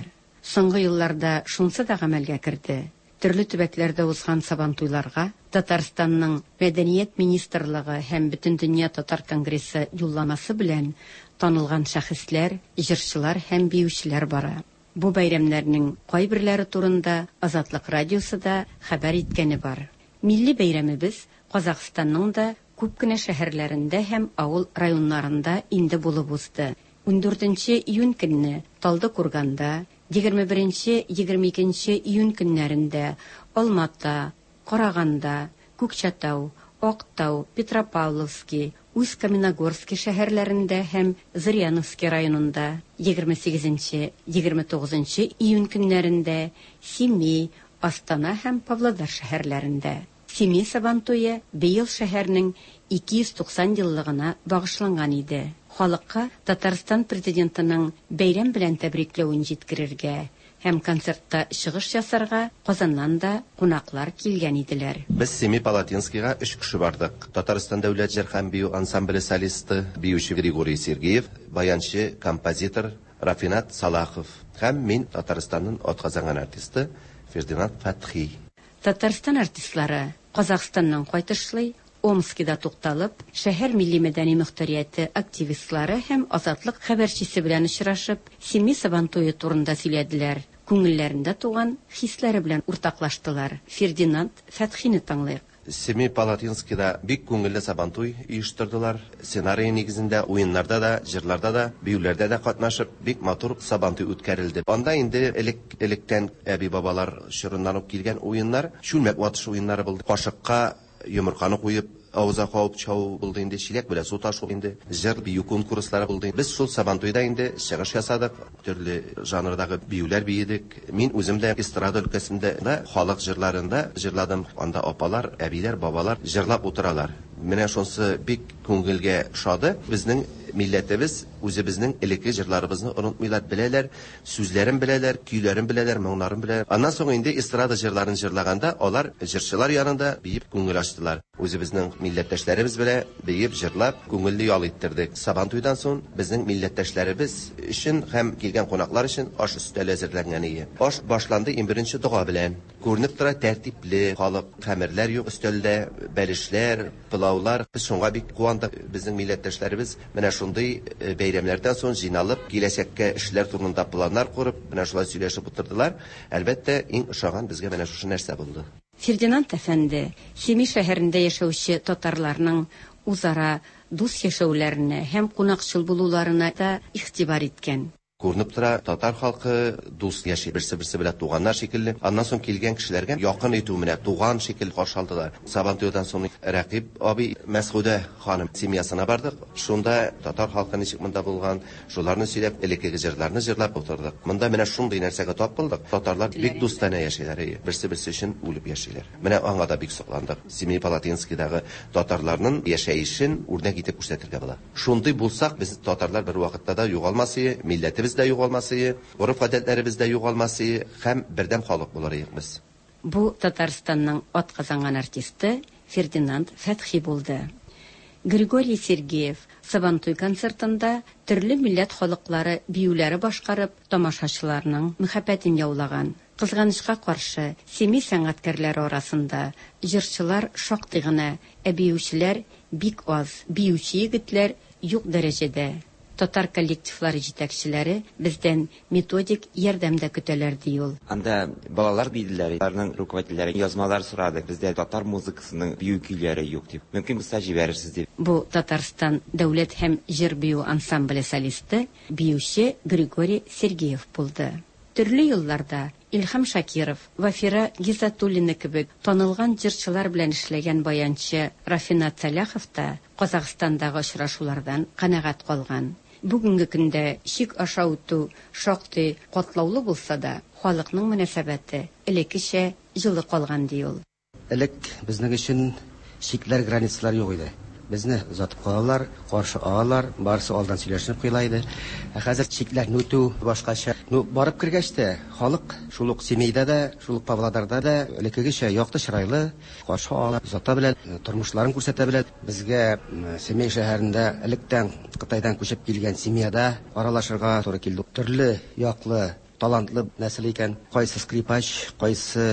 Соңгы елларда шунсы да гамәлгә керде. Төрле төбәкләрдә узган Сабантуйларга Татарстанның Мәдәният министрлыгы һәм Бөтендөнья татар конгрессы юлламасы белән танылган шәхесләр, җырчылар һәм биючеләр бара. Бу бәйрәмнәрнең кайберләре турында Азатлык радиосы да хәбәр иткәне бар. Милли бәйрәмебез Казахстанның да күп кенә шәһәрләрендә һәм авыл районнарында инде булып узды. 14 июнь көнне Талдыкурганда, 21-22 июнь көннәрендә Алмата, Караганда, Күкчәтау, Актау, Петропавловский, Усть-Каменогорски шәһәрләрендә һәм Зыряновски районында, 28 29 июнь көннәрендә Семей, Астана һәм Павлодар шәһәрләрендә. Семей Сабантуе быел шәһәрнең 290 еллыгына багышланган иде. Халыкка Татарстан Президентының бәйрәм белән тәбрикләвен җиткерергә һәм концертта чыгыш ясарга Казаннан да кунаклар килгән иделәр. Без Семипалатинскига өч кеше бардык. Татарстан дәүләт җыр һәм бию ансамбле солисты, биюче Григорий Сергеев, баянчы, композитор Рафинат Салахов һәм мин, Татарстанның атказанган артисты Фердинанд Фәтхи. Татарстан артистлары Казахстаннан кайтышлый Омскида тукталып, шәһәр милли-мәдәни мохтарияте активистлары һәм Азатлык хәбәрчесе белән очрашып, Семей Сабантуе турында сөйләделәр, күңелләрендә туган хисләре белән уртаклаштылар. Фердинанд Фәтхине тыңлыйк. Семипалатинскида бик күңелле Сабантуй оештырдылар. Сценарий нигезендә уеннарда да, җырларда да, биюләрдә дә катнашып, бик матур Сабантуй үткәрелде. Анда инде элек-электән әби-бабалар чорыннан ук килгән уеннар, чүлмәк ватыш уеннары булды. Кашыкка йомырканы куеп, авызга кабып чабу булды инде, чиләк белән су ташу инде, җыр, бию конкурслары булды. Без шул Сабантуйда инде чыгыш ясадык, төрле жанрдагы биюләр биедек. Мин үзем дә эстрада өлкәсендә дә халык җырларын да җырладым. Анда апалар, әбиләр, бабалар җырлап утыралар. Менә шунысы бик күңелгә ошады. Безнең милләтебез үзебезнең элекке җырларыбызны онытмыйлар, беләләр, сүзләрен беләләр, көйләрен беләләр, моңнарын беләләр. Аннан соң инде эстрада җырларын җырлаганда алар җырчылар янында биеп күңел ачтылар. Үзебезнең милләттәшләребез белән биеп, җырлап, күңелле ял иттердек. Сабантуйдан соң безнең милләттәшләребез өчен һәм килгән кунаклар өчен аш өстәле әзерләнгән иде. Аш башланды иң беренче дога белән. Күренеп тора, тәртипле халык, хәмерләр юк өстәлдә, бәлешләр, пылаулар. Без шуңа бик куандык. Безнең милләттәшләребез менә шундый бәйрәмнәрдән соң җыйналып, киләчәккә эшләр турында планнар корып, менә шулай сөйләшеп утырдылар. Әлбәттә, иң ошаган безгә менә шушы нәрсә булды. Фердинанд әфәнде Семей шәһәрендә яшәүче татарларның үзара дус яшәүләренә һәм кунакчыл булуларына да игътибар иткән. Күренеп тора, татар халкы дус яши, берсе-берсе белән туганнар шикелле. Аннан соң килгән кешеләргә якын итү, менә туган шикелле каршы алдылар. Сабантуйдан соң Рәкыйп абый, Мәсгудә ханым семьясына бардык. Шунда татар халкы ничек монда булган, шуларны сөйләп, элеккеге җырларны җырлап утырдык. Монда менә шундый нәрсәгә тап булдык. Татарлар бик дустанә яшиләр, әйе. Берсе-берсе өчен үлеп яшиләр. Менә аңа да бик сокландык. Семипалатинскийдагы татарларның яшәешен үрнәк итеп күрсәтергә була. Шундый булсак, без татарлар бервакытта да югалмас ие, милләтебез дә югалмас ие, гореф-гадәтләребез дә югалмас ие һәм бердәм халык булыр идек без. Бу Татарстанның атказанган артисты Фердинанд Фәтхи булды. Григорий Сергеев Сабантуй концертында төрле милләт халыклары биюләре башкарып, тамашачыларның мәхәббәтен яулаган. Кызганычка каршы, Семей сәнгатькәрләре арасында җырчылар шактый гына, ә биючеләр бик аз, биюче егетләр юк дәрәҗәдә. Татар коллективлары җитәкчеләре бездән методик ярдәм дә көтәләр, ди ул. Анда балалар биеделәр, аларның руководительләре язмалар сорады, бездә татар музыкасының бию көйләре юк дип. Мөмкин булса җибәрерсез дип. Бу Татарстан дәүләт һәм җыр-бию ансамбле солисты, биюче Григорий Сергеев булды. Төрле елларда Илһам Шакиров, Вафира Гизатуллина кебек танылган җырчылар белән эшләгән баянчы Рафинат Сәлахов та Казахстандагы очрашулардан канәгать калган. Бүгенге көндә чик аша үтү шактый катлаулы булса да, халыкның мөнәсәбәте элеккечә җылы калган, ди ул. Элек безнең өчен чикләр, границалар юк иде. Безне озатып калалар, каршы алалар, барысы алдан сөйләшенеп куела иде. Ә хәзер чикләрне үтү башкача. Ну, барып кергәч тә, халык шул ук Семейда да, шул ук Павлодарда да элеккегечә якты чырайлы, каршы ала, озата белә, тормышларын күрсәтә белә. Безгә Семей шәһәрендә электән Кытайдан күчеп килгән семьяда аралашырга туры килде. Төрле яклы талантлы нәсел икән. Кайсы скрипач, кайсы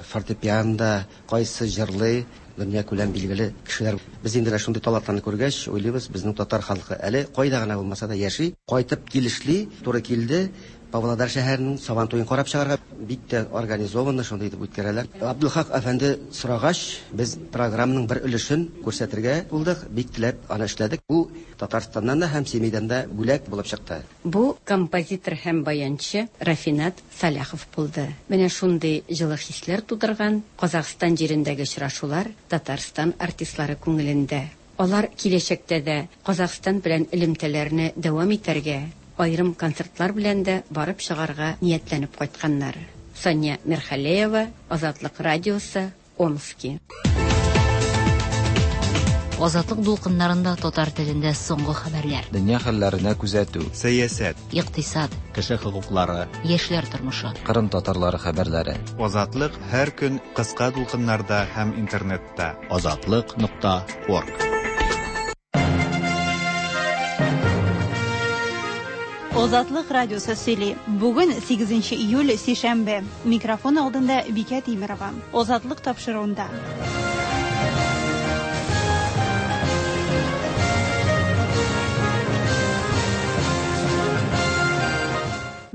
фортепианда, кайсы җырлый, дөнья күләм билгеле кешеләр. Без инде менә шундый талантларны күргәч, уйлыйбыз, безнең татар халкы әле кайда гына булмаса да яши, кайтып килешли, туры килде. Павлодар шәһәренең Сабан туен карап чыгарга бик тә организованно шундый итеп үткәрәләр. Абдулхак әфәнде сорагач, без программаның бер өлешен күрсәтергә булдык, бик теләп аны эшләдек. Бу Татарстаннан да һәм Семейдән дә бүләк булып чыкты. Бу композитор һәм баянчы Рафинат Сәлахов булды. Менә шундый җылы хисләр тудырган Казахстан җирендәге очрашулар Татарстан артистлары күңелендә. Алар киләчәктә дә Казахстан белән элемтәләрне дәвам итәргә, аерым концертлар белән дә барып чыгарга ниятләнеп кайтканнар. Сания Мирхалеева, Азатлык радиосы, Омски. Азатлык дулкыннарында татар телендә соңгы хәбәрләр. Дөнья хәлләренә күзәтү. Сәясәт. Икътисад. Кеше хокуклары. Яшьләр тормышы. Кырым татарлары хәбәрләре. Азатлык һәр көн кыска дулкыннарда һәм интернетта. Азатлык нокта орг. Азатлык радиосы сөйли. Бүген 8 июль сишәмбе. Микрофон алдында Бикә Тимерова. Азатлык тапшыруында.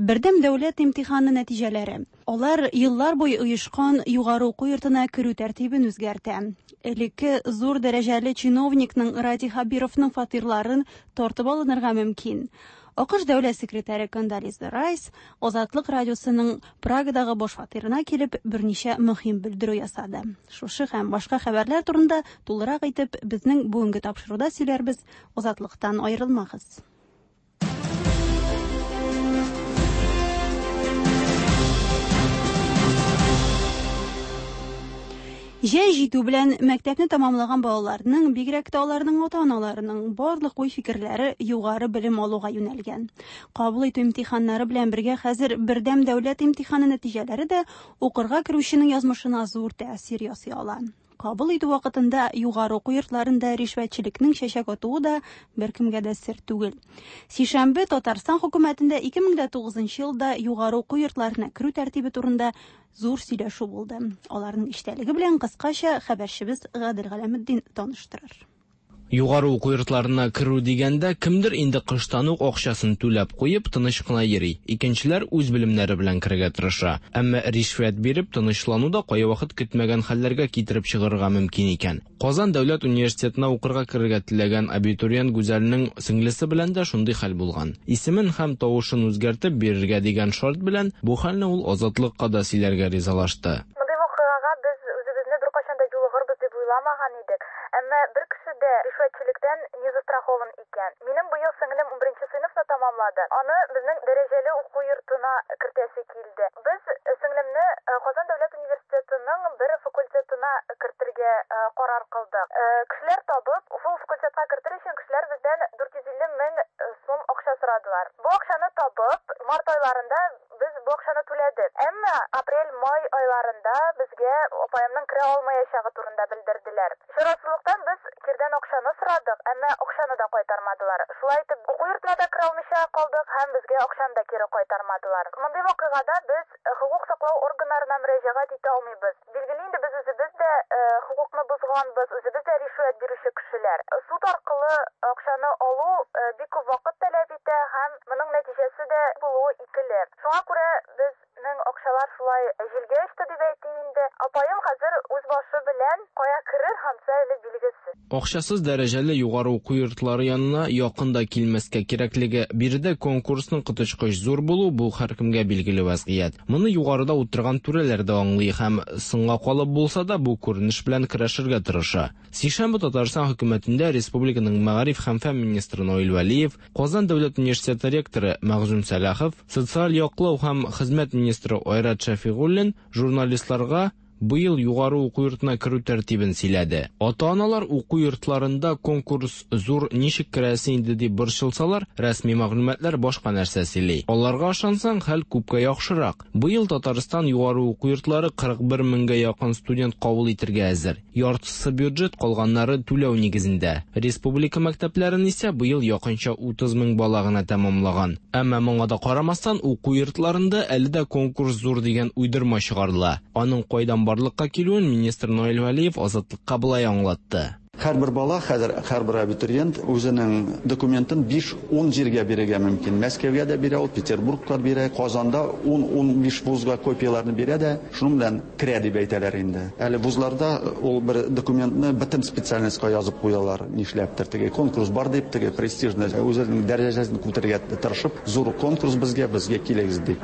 Бердәм дәүләт имтиханы нәтиҗәләре. Алар еллар буе оешкан югары уку йортына керү тәртибен үзгәртә. Элекке зур дәрәҗәле чиновникның Радий Хабировның фатирларын тартып алынырга мөмкин. АКШ дәүләт секретаре Кондолиза Райс Азатлык радиосының Прагадагы баш фатирына килеп берничә мөһим белдерү ясады. Шушы һәм башка хәбәрләр турында тулырак итеп безнең бүгенге тапшыруда сөйләрбез. Азатлыктан аерылмагыз. Җәй җитү белән мәктәпне тәмамлаган балаларның, бигрәк тә аларның ата-аналарының барлык уй-фикерләре югары белем алуга юнәлгән. Кабул итү имтиханнары белән бергә хәзер бердәм дәүләт имтиханы нәтиҗәләре дә укырга керүченең язмышына зур тәэсир ясый ала. Кабул итү вакытында югары уку йортларында ришвәтчелекнең чәчәк атуы да беркемгә дә сер түгел. Сишәмбе Татарстан хөкүмәтендә 2009 елда югары уку йортларына керү тәртибе турында зур сөйләшү булды. Аларның эчтәлеге белән кыскача хәбәрчебез Гадел Галәметдин таныштырыр. Югары уку йортларына керү дигәндә кемдер инде кыштан ук акчасын түләп куеп тыныч кына йөри. Икенчеләр үз белемнәре белән керергә тырыша. Әмма ришвәт биреп тынычлану да кайвакыт көтмәгән хәлләргә китереп чыгарырга мөмкин икән. Казан дәүләт университетына укырга керергә теләгән абитуриент Гүзәлнең сеңлесе белән дә шундый хәл булган. Исемен һәм тавышын үзгәртеп бирергә дигән шарт белән бу хәлне ул Азатлыкка да сөйләргә ризалашты. Мондый вакыйгага без үзебезне беркайчан да юлыгырбыз дип уйламаган идек. Әмма бер кеше дә ришвәтчелектән не застрахован икән. Минем быел сеңлем 11 сыйныфны тамамлады. Аны безнең дәрәҗәле уку йортына кертәсе килде. Без сеңлемне Казан дәүләт университетының бер факультетына кертергә карар кылдык. Кешеләр табып, шул факультетка кертер өчен кешеләр бездән 450 мең сум акча сорадылар. Бу акчаны табып, март айларында без бу акчаны түләдек. Әмма апрель-май айларында безгә апаемның керә алмаячагы турында белдерделәр. Чарасызлыктан без кирдән акчаны сорадык, әмма акчаны да кайтармадылар. Шулай итеп, уку йортына да керә алмыйча калдык һәм безгә акчаны да кире кайтармадылар. Мондый вакыйгада без хокук саклау органнарына мөрәҗәгать итә алмыйбыз. Билгеле инде без үзебез дә хокукны бозганбыз, үзебез дә ришвәт бирүче кешеләр. Суд аркылы акчаны алу бик күп вакыт таләп итә һәм моның нәтиҗәсе дә булуы икеле. Шуңа күрә безнең акчалар шулай җилгә очты дип әйтим инде. Апаем хәзер үз башы белән кая керер, ансы әле билгесез. Акчасыз дәрәҗәле югары уку йортлары янына якын да килмәскә кирәклеге, биредә конкурсның коточкыч зур булуы бу һәркемгә билгеле вазгыять. Моны югарыда утырган түрәләр дә аңлый һәм соңга калып булса да бу күренеш белән көрәшергә тырыша. Сишәмбе Татарстан хөкүмәтендә республиканың мәгариф һәм фән министры Наил Вәлиев, Казан дәүләт университеты ректоры Мәгъзүм Сәлахов, социаль яклау һәм хезмәт министры Айрат Шәфигуллин журналистларга быел югары уку йортына керү тәртибен сөйләде. Ата-аналар уку йортларында конкурс зур, ничек керәсе инде дип борчылсалар, рәсми мәгълүматлар башка нәрсә сөйли. Аларга ышансаң, хәл күпкә яхшырак. Быел Татарстан югары уку йортлары 41 меңгә якын студент кабул итергә әзер. Яртысы бюджет, калганнары түләү нигезендә. Республика мәктәпләрен исә быел якынча 30 мең бала гына тәмамлаган. Әмма моңа да карамастан, уку йортларында әле дә конкурс зур дигән уйдырма чыгарыла. Аның кайдан барлыкка килүен министр Наил Вәлиев Азатлыкка былай аңлатты. Һәрбер бала, хәзер һәрбер абитуриент үзенең документын 5-10 җиргә бирергә мөмкин. Мәскәүгә дә бирә ул, Петербургка бирә, Казанда 10-15 вузга копияләрне бирә дә, шуның белән керә дип әйтәләр инде. Әле вузларда ул бер документны бөтен специальностька язып куялар, нишләптер теге конкурс бар дип, теге престижный үзенең дәрәҗәсен күтәрергә тырышып, зур конкурс безгә, безгә килегез дип.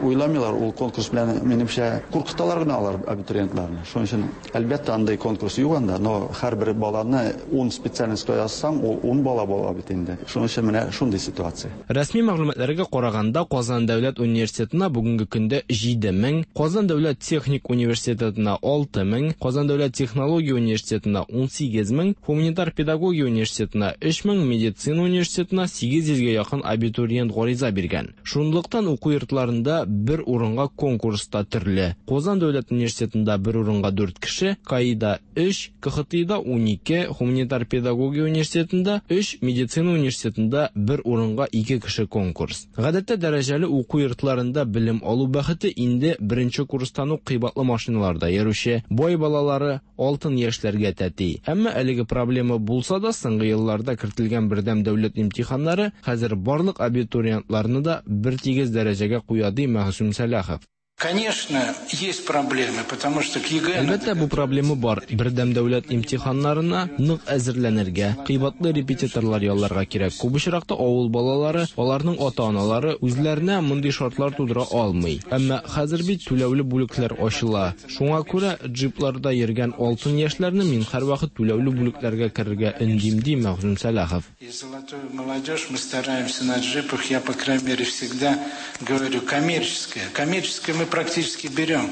Уйламыйлар ул конкурс белән, минемчә, куркыталар гына алар абитуриентларны. Шуның өчен әлбәттә андый конкурс юк анда, но һәрбер бала баланы 10 специальностька язсаң, ул 10 бала була бит инде. Шуның өчен менә шундый ситуация. Рәсми мәгълүматларга караганда, Казан дәүләт университетына бүгенге көндә 7000, Казан дәүләт техник университетына 6000, Казан дәүләт технология университетына 18000, Гуманитар педагогия университетына 3000, медицина университетына 800 гә якын абитуриент гариза биргән. Шунлыктан уку йортларында бер урынга конкурс та төрле. Казан дәүләт университетында бер урынга 4 кеше, КАИда 3, КХТИда 12, Гуманитар педагогия университетында 3, медицина университетында бер урынга 2 кеше конкурс. Гадәттә дәрәҗәле уку йортларында белем алу бәхете инде беренче курстан ук кыйбатлы машиналарда йөрүче бай балалары, алтын яшьләргә тәти. Әмма әлеге проблема булса да, соңгы елларда кертелгән бердәм дәүләт имтиханнары хәзер барлык абитуриентларны да бертигез дәрәҗәгә куя, ди Мәгъсүм Сәлахов. Конечно, есть проблемы, потому что к ЕГЭ... Әлбәттә, бу проблема бар. Бердәм дәүләт имтиханнарына нык әзерләнергә, кыйбатлы репетиторлар ялларга кирәк. Күп очракта авыл балалары, аларның ата-аналары үзләренә мондый шартлар тудыра алмый. Әмма хәзер бит түләүле бүлекләр ачыла. Шуңа күрә джипларда йөргән алтын яшьләрне мин һәрвакыт түләүле бүлекләргә керергә өндим, ди Мәгъсүм Сәлахов. И золотую молодежь мы стараемся на джипах, я, по крайней мере, всегда говорю, коммерческое. Коммерческое мы практически берем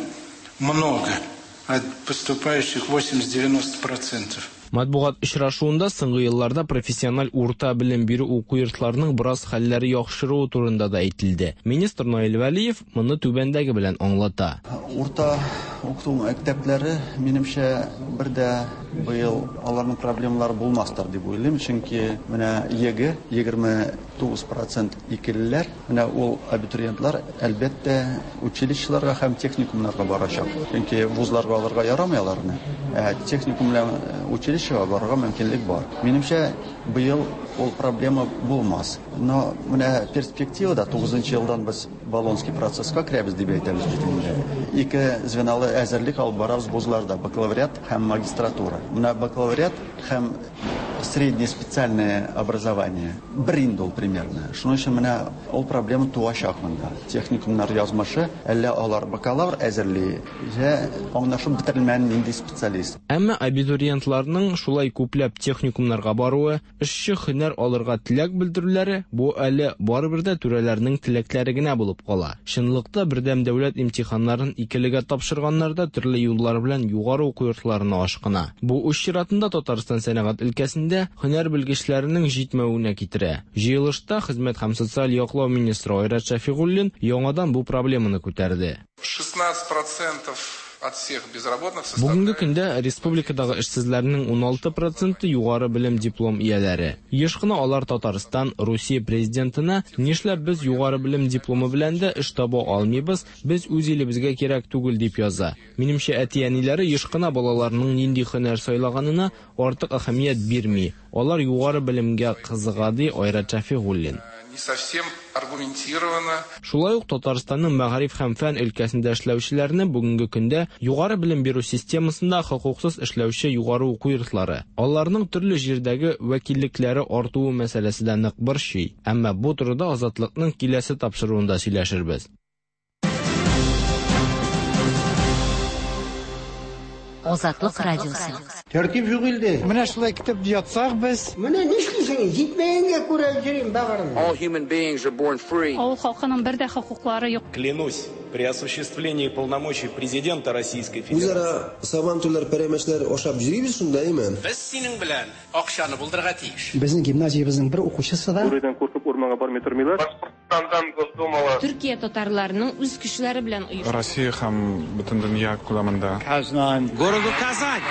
много, от поступающих 80-90%. Матбугат очрашуында соңгы елларда профессиональ урта белем бирү уку йортларының бераз хәлләре яхшыруы турында да әйтелде. Министр Наил Вәлиев моны түбәндәге белән аңлата. Урта уку мәктәпләре, минемчә, бер дә быел аларның проблемалары булмастыр дип уйлыйм, чөнки менә ЕГЭ 29% икелеләр, менә ул абитуриентлар әлбәттә училищеларга һәм техникумнарга барачак. Чөнки вузларга алырга ярамый аларны. Ә техникум белән училищега барырга мөмкинлек бар. Минемчә, быел ул проблема булмас. Но менә перспективада 9 елдан без Болонский процесска керәбез дип әйтәбез бит инде. Ике звеналы әзерлек алып барабыз вузларда, бакалавриат һәм магистратура. Менә бакалавриат һәм среднее специальное образование бер инде ул примерно. Шуның өчен менә ул проблема туачак монда. Техникумнар язмышы, әллә алар бакалавр әзерли, я аңлашып бетерелмәгән нинди специалист. Әмма абитуриентларның шулай күпләп техникумнарга баруы, эшче һөнәр алырга теләк белдерүләре бу әле барыбер дә түрәләрнең теләкләре генә булып кала. Чынлыкта бердәм дәүләт имтиханнарын икелегә тапшырганнар да төрле юллар белән югары уку йортларына ашкына. Бу үз чиратында Татарстан сәнәгать өлкәсендә һөнәр белгечләренең җитмәвенә китерә. Җыелышта хезмәт һәм социаль яклау министры Айрат Шәфигуллин яңадан бу проблеманы күтәрде. 16% от всех безработных Бүгенге көндә республикадагы эшсезләрнең 16% югары белем диплом ияләре. Еш кына алар Татарстан, Русия президентына нишләп без югары белем дипломы белән дә эш таба алмыйбыз, без үз илебезгә кирәк түгел дип яза. Минемчә, әти-әниләре еш кына балаларының нинди һөнәр сайлаганына артык әһәмият бирми. Алар югары белемгә кызыга, ди Айрат Шәфигуллин. Не совсем аргументированно. Шулай ук Татарстанның мәгариф һәм фән өлкәсендә эшләүчеләрне бүгенге көндә югары белем бирү системасында хокуксыз эшләүче югары уку йортлары, аларның төрле җирдәге вәкиллекләре артуы мәсьәләсе дә нык борчый. Әмма бу турыда Азатлыкның киләсе тапшыруында сөйләшербез. Азатлык радиосы. Тәртип юк илдә. Менә шулай көтеп ятсак без. Менә нишлисең? Җитмәгәнгә күрә йөрим бәгырем. All human beings are born free. Авыл халкының бер дә хокуклары юк. Клянусь, при осуществлении полномочий президента Российской Федерации. Үзара сабантуйлар, пәрәмәчләр ашап йөрибез шунда, әйме? Без синең белән акчаны булдырырга тиеш. Безнең гимназиябезнең бер укучысы да Бүредән куркып урманга бармый тормыйлар. Башкортстандан Госдумала. Төркия татарларының үз көчләре белән оешкан. Россия һәм бөтен дөнья күләмендә. Казань. Городу Казань.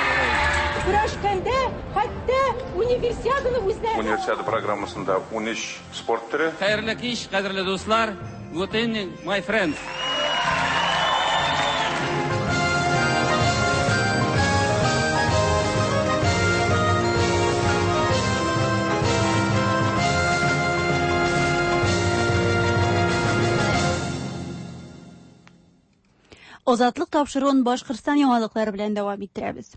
Көрәшкәндә хәтта универсиаданы үзләре. Универсиада программасында 13 спорт төре. Хәерле кич, кадерле дуслар. Good evening, my friends. Азатлык тапшыруын Башкортстан яңалыклары белән дәвам иттерәбез.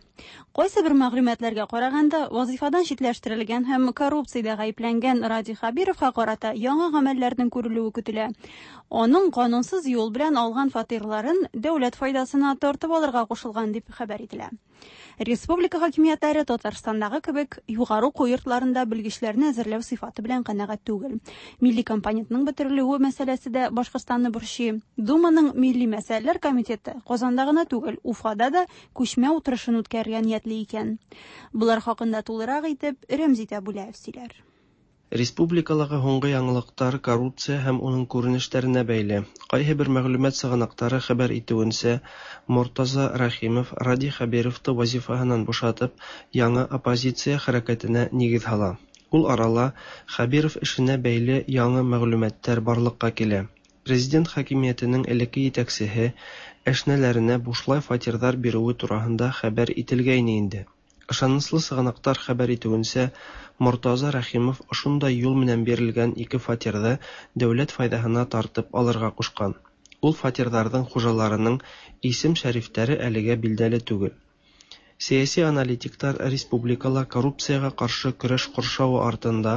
Кайсы бер мәгълүматларга караганда, вазифадан читләштерелгән һәм коррупциядә гаепләнгән Радий Хәбировка карата яңа гамәлләрнең күрелүе көтелә. Аның канунсыз юл белән алган фатирларын дәүләт файдасына тартып алырга кушылган дип хәбәр ителә. Республика хакимиятләре Татарстандагы кебек югары уку йортларында белгечләрне әзерләү сыйфаты белән канәгать түгел. Милли компонентның бетерелүе мәсьәләсе дә Башкортстанны борчый. Думаның милли мәсьәләләр комитеты Казанда гына түгел, Уфада да күчмә утырышын үткәрергә ниятли икән. Болар хакында тулырак итеп Рәмзит Әбүләев сөйләр. Республикалагы һуңгы яңалыктар коррупция һәм уның күренешләренә бәйле. Кайһы бер мәгълүмат сыгынактары хәбәр итүенчә, Мортаза Рәхимов Радий Хәбировты вазифаһынан бушатып, яңа оппозиция хәрәкәтенә нигез һала. Ул арала Хәбиров эшенә бәйле яңы мәгълүматтар барлыкка килә. Президент хакимиятенең элекке итәксеһе әшнәләренә бушлай фатирҙар биреүе тураһында хәбәр ителгәйне инде. Ышаныслы сыгынактар хәбәр итүенсә, Мортаза Рәхимов ошондай юл менән бирелгән ике фатирҙы дәүләт файҙаһына тартып алырға ҡушҡан. Ул фатирҙарҙың хужаларының исем-шәрифтәре әлегә билдәле түгел. Сәяси аналитиктар республикала коррупцияға ҡаршы көрәш ҡоршауы артында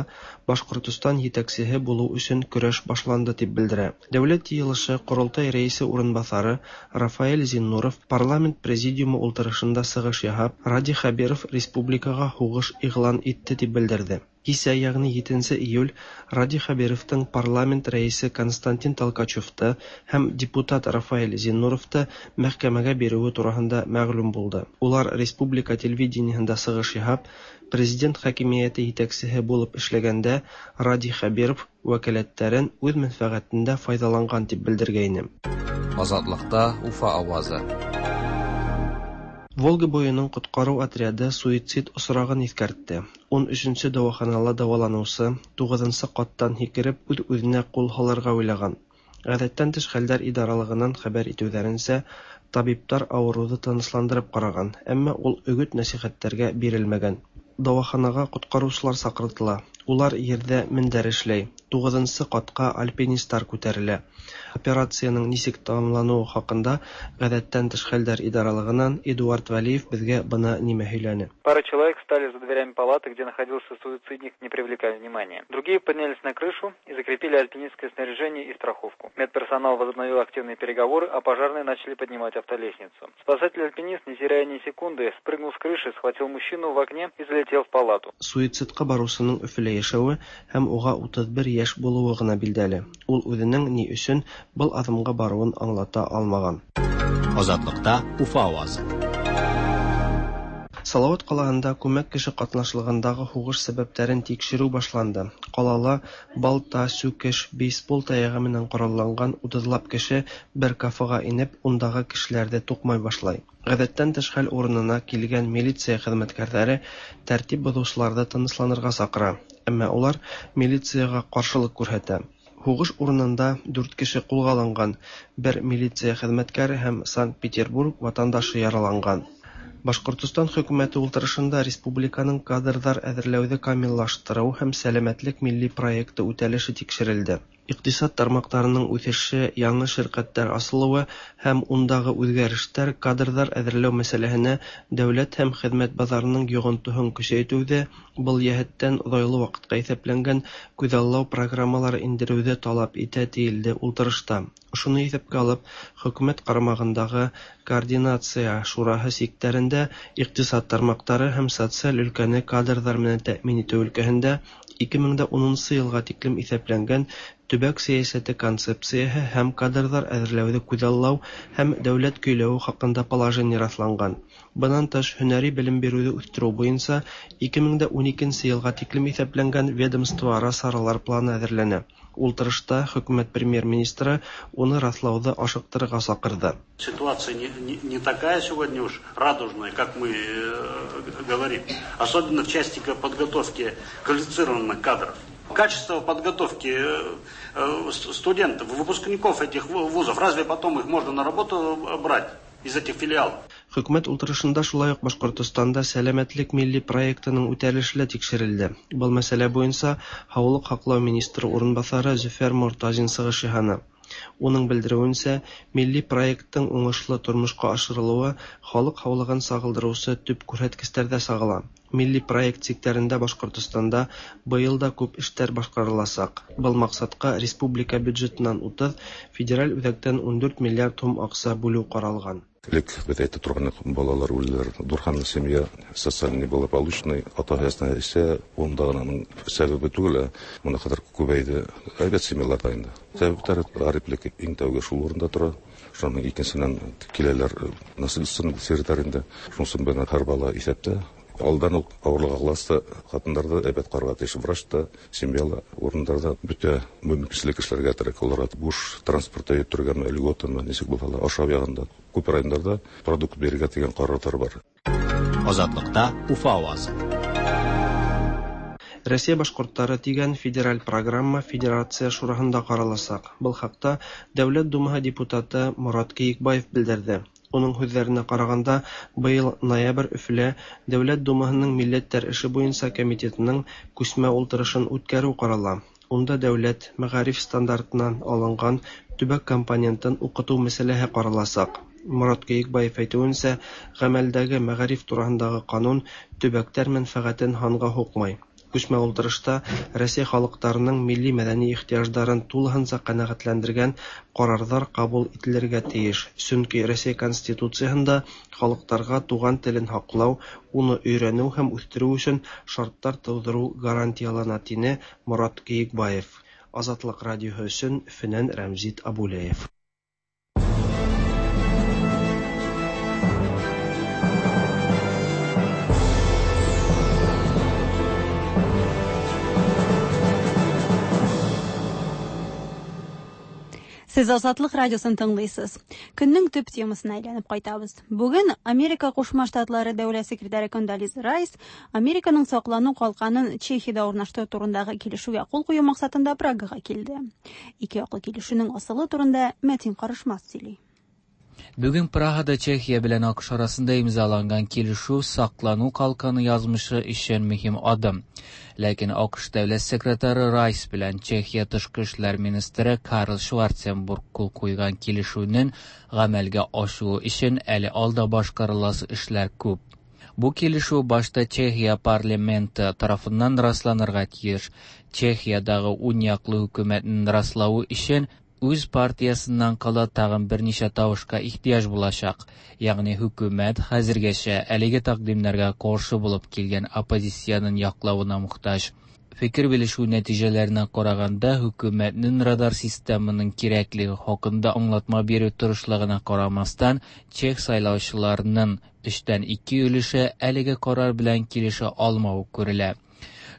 Башҡортостан етәксеһе булыу өсөн көрәш башланды тип белдерә. Дәүләт йыйылышы Ҡоролтай рәйесе урынбаҫары Рафаэль Зиннуров парламент президиумы ултырышында сығыш яһап, Радий Хәбиров республикаға һуғыш иғлан итте тип белдерҙе. Кисә, ягъни 7 июль, Радий Хәбировтың парламент рәисе Константин Толкачевты һәм депутат Рафаэль Зиннуровты мәхкәмәгә биреүе тураһында мәгълүм булды. Улар республика телевидениеһында сығыш яһап, президент хакимиәте етәксеһе булып эшләгәндә Радий Хәбиров вәкаләттәрен үҙ мәнфәғәтендә файҙаланған тип белдергәйне. Азатлыкта Уфа авазы. Волга буйының ҡотҡарыу отряды суицид осрағын иҫкәртте. 13-нсе дауаханала дауаланыусы 9-нсы ҡаттан һикереп үҙ-үҙенә ҡул һалырға уйлаған. Ғәҙәттән тыш хәлдәр идаралығынан хәбәр итеүҙәренсә, табиптар ауырыуҙы тынысландырып ҡараған, әммә ул өгөт-нәсихәттәргә бирелмәгән. Дауаханаға ҡотҡарыусылар саҡыртыла. Улар ерҙә мендәр эшләй. 9-нсы ҡатҡа альпинистар күтәрелә. Операцияның нисек тамамланыуы хаҡында ғәҙәттән тыш хәлдәр идаралығынан Эдуард Валиев беҙгә бына нимә һөйләне. Пара человек стали за дверями палаты, где находился суицидник, не привлекая внимания. Другие поднялись на крышу и закрепили альпинистское снаряжение и страховку. Медперсонал возобновил активные переговоры, а пожарные начали поднимать автолестницу. Спасатель-альпинист, не теряя ни секунды, спрыгнул с крыши, схватил мужчину в окне и залетел в палату. Суицидҡа барыусының Өфөлә йәшәүе һәм уға 31 йәш булыуы ғына билдәле. Ул үҙенең ни өсөн был аҙымға барыуын аңлата алмаған. Азатлыкта Уфа авазы. Салават ҡалаһында күмәк кеше ҡатнашлығындағы һуғыш сәбәптәрен тикшереү башланды. Ҡалала балта, сүкеш, бейсбол таяғы менән ҡоралланған 30лап кеше бер кафеға инеп, ундағы кешеләрҙе туҡмай башлай. Ғәҙәттән тыш хәл урынына килгән милиция хеҙмәткәрҙәре тәртип боҙоусыларҙы тынысланырға саҡыра, әммә улар милицияға ҡаршылыҡ күрһәтә. Һуғыш урынында 4 кеше ҡулға алынған, бер милиция хеҙмәткәре һәм Санкт-Петербург ватандашы яраланған. Башҡортостан хөкүмәте ултырышында республиканың кадрҙар әҙерләүҙе камиллаштырыу һәм сәләмәтлек милли проекты үтәлеше тикшерелде. Иҡтисад тармаҡтарының үҫеше, яңы ширҡәттәр асылыуы һәм ундағы үҙгәрештәр кадрҙар әҙерләү мәсьәләһенә дәүләт һәм хеҙмәт баҙарының йоғонтоһон көсәйтеүҙе, был йәһәттән оҙайлы ваҡытҡа иҫәпләнгән күҙаллау программалары индереүҙе талап итә, тиелде ултырышта. Ошоно иҫәпкә алып, хөкүмәт ҡарамағындағы координация шураһы сиктәрендә иҡтисад тармаҡтары һәм социаль өлкәне кадрҙар менән тәьмин итеү өлкәһендә 2010 йылға тиклем иҫәпләнгән төбәк сәйәсәте концепцияһы һәм кадрҙар әҙерләүҙе күҙаллау һәм дәүләт көйләүе хаҡында положение раҫланған. Бынан тыш, һөнәри белем биреүҙе үҫтереү буйынса 2012 йылға тиклем иҫәпләнгән ведомство-ара саралар планы әҙерләнә. Ултырышта хөкүмәт премьер-министры уны раҫлауҙы ашыҡтырырға саҡырҙы. Ситуация не такая сегодня уж радужная, как мы говорим, особенно в части подготовки квалифицированных кадров. Качество подготовки студентов, выпускников этих вузов, разве потом их можно на работу брать из этих филиалов? Хөкүмәт ултырышында шулай уҡ Башҡортостанда сәләмәтлек милли проектының үтәлеше лә тикшерелде. Был мәсьәлә буйынса һаулыҡ һаҡлау министры урынбаҫары Зөфәр Мортазин сығыш яһаны. Уның белдерүенчә, милли проекттың уңышлы тормышка ашырылуы халык һаулыгын сагылдырыусы төп күрһәткечләрдә сагыла. Милли проект чикләрендә Башкортостанда быел да күп эшләр башкарылачак. Был максатка республика бюджетыннан 30, федераль үзәктән 14 миллиард һум акча бүлү каралган. Элек без әйтә торган балалар үлделәр. Дурханлы семья социаль неблагополучный, ата исә унда гына аның сәбәбе түгел, моны кадәр күбәйде. Әйбәт семьяларда инде. Сәбәпләре гариплек иң тәүге шул урында тора. Шуның икенченнән киләләр насильственный сердәр инде. Шунсын белән һәр бала исәптә. Алдан ук авырлык аласы хатыннарда әйбәт карарга тиеш врач та, семьялы урыннарда бөтә мөмкинчелек эшләргә кирәк. Аларга буш транспортта йөртергәме, льготамы, ничек булса да, ашау ягында күп районнарда продукт бирергә дигән карарлар бар. Азатлыкта Уфа авазы. Россия башкортлары дигән федераль программа Федерация шураһында каралачак. Был хакта Дәүләт Думаһы депутаты Морат Киекбаев белдерде. Уның һүҙҙәренә ҡарағанда, быйыл ноябрь Өфөлә Дәүләт Думаһының милләттәр эше буйынса комитетының күсмә ултырышын үткәреү ҡарала. Унда дәүләт мәғариф стандартынан алынған төбәк компонентын уҡытыу мәсьәләһе ҡараласаҡ. Морат Киекбаев әйтеүенсә, ғәмәлдәге мәғариф тураһындағы ҡанун төбәктәр мәнфәғәтен һанға һуҡмай. Күсмә ултырышта Рәсәй халыҡтарының милли мәҙәни ихтыяждарын тулыһынса ҡәнәғәтләндергән ҡарарҙар ҡабул ителергә тейеш. Сөнки Рәсәй Конституцияһында халыҡтарға туған телен һаҡлау, уны өйрәнеү һәм үҫтереү өсөн шарттар тыуҙырыу гарантиялана, тине Морат Киекбаев. Азатлыҡ радиоһы өсөн Өфөнән Рәмзит Абулеев. Сез Азатлык радиосын тыңлыйсыз. Көннең төп темасына әйләнеп кайтабыз. Бүген Америка Кушма Штатлары дәүләт секретаре Кондолиза Райс Американың саклану калканын Чехиядә урнаштыру турындагы килешүгә кул кую максатында Прагага килде. Ике яклы килешүнең асылы турында Мәтин Карышмас сөйли. Бүген Прагада Чехия белән АКШ арасында имзаланган килешү саклану калканы язмышы өчен мөһим адым. Ләкин АКШ дәүләт секретаре Райс белән Чехия тышкы эшләр министры Карл Шварценбург кул куйган килешүнең гамәлгә ашуы өчен әле алда башкарыласы эшләр күп. Бу килешү башта Чехия парламенты тарафыннан расланырга тиеш. Чехиядагы ун яклы хөкүмәтнең раславы өчен үз партиясыннан кала тагын берничә тавышка ихтыяҗ булачак. Ягъни хөкүмәт хәзергәчә әлеге тәкъдимнәргә каршы булып килгән оппозициянең яклавына мохтаҗ. Фикер белешү нәтиҗәләренә караганда, хөкүмәтнең радар системының кирәклеге хакында аңлатма бирү тырышлыгына карамастан, чех сайлаучыларының 2/3 өлеше әлеге карар белән килешә алмавы күрелә.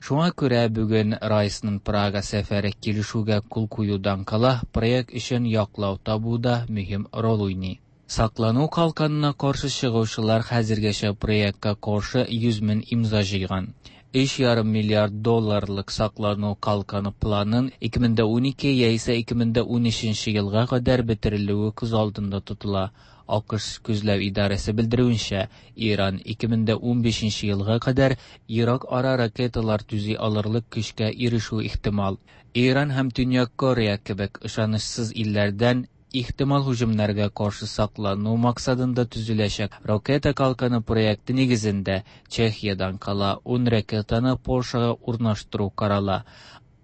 Шуңа күрә бүген Райсның Прага сәфәре килешүгә кул куюдан кала проект өчен яклау табуда мөһим роль уйный. Саклану калканына каршы чыгучылар хәзергәчә проектка каршы 100 мең имза җыйган. 3,5 миллиард долларлык саклану калканы планын 2012 яисә 2013 елга кадәр бетерелүе күз алдында тотыла. АКШ күзләү идарәсе белдерүенчә, Иран 2015 елга кадәр ерак ара ракеталар төзи алырлык көчкә ирешү ихтимал. Иран һәм Төньяк Корея кебек ышанычсыз илләрдән ихтимал һөҗүмнәргә каршы саклану максатында төзеләчәк ракета калканы проекты нигезендә Чехиядан кала 10 ракетаны Польшага урнаштыру карала.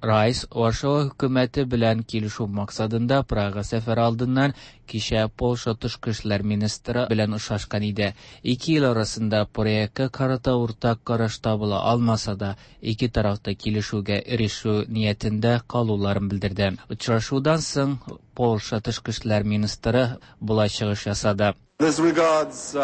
Райс Варшава хөкүмәте белән килешү максатында Прага сәфәре алдыннан кичә Польша тышкы эшләр министры белән очрашкан иде. Ике ил арасында проектка карата уртак караш табыла алмаса да, ике тараф та килешүгә ирешү ниятендә калуларын белдерде. Очрашудан соң Польша тышкы эшләр министры болай чыгыш ясады. As regards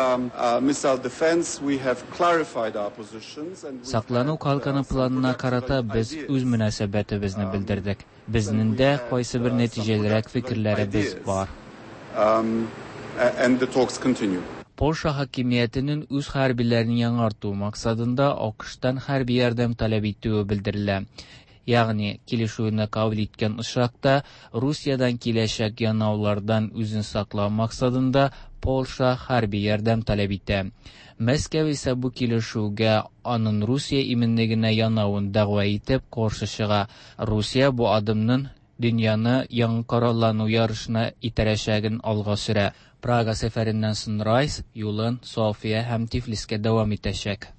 missile defense, we have clarified our positions and Саклану калканы планына карата без үз мөнәсәбәтебезне белдердек. Безнең дә кайсы бер нәтиҗәлерәк фикерләребез бар. And the talks continue. Польша хакимиятенең үз хәрбиләрен яңарту максатында АКШтан хәрби ярдәм таләп итүе белдерелә. Ягъни килешүне кабул иткән очракта Русиядан киләчәк янаулардан үзен саклау максатында Польша хәрби ярдәм таләп итә. Мәскәү исә бу килешүгә аның Русия иминлегенә янавын дәгъва итеп каршы чыга. Русия бу адымның дөньяны яңа кораллану ярышына этәрәчәген алга сөрә. Прага сәфәреннән соң Райс юлын София һәм Тифлискә дәвам итәчәк.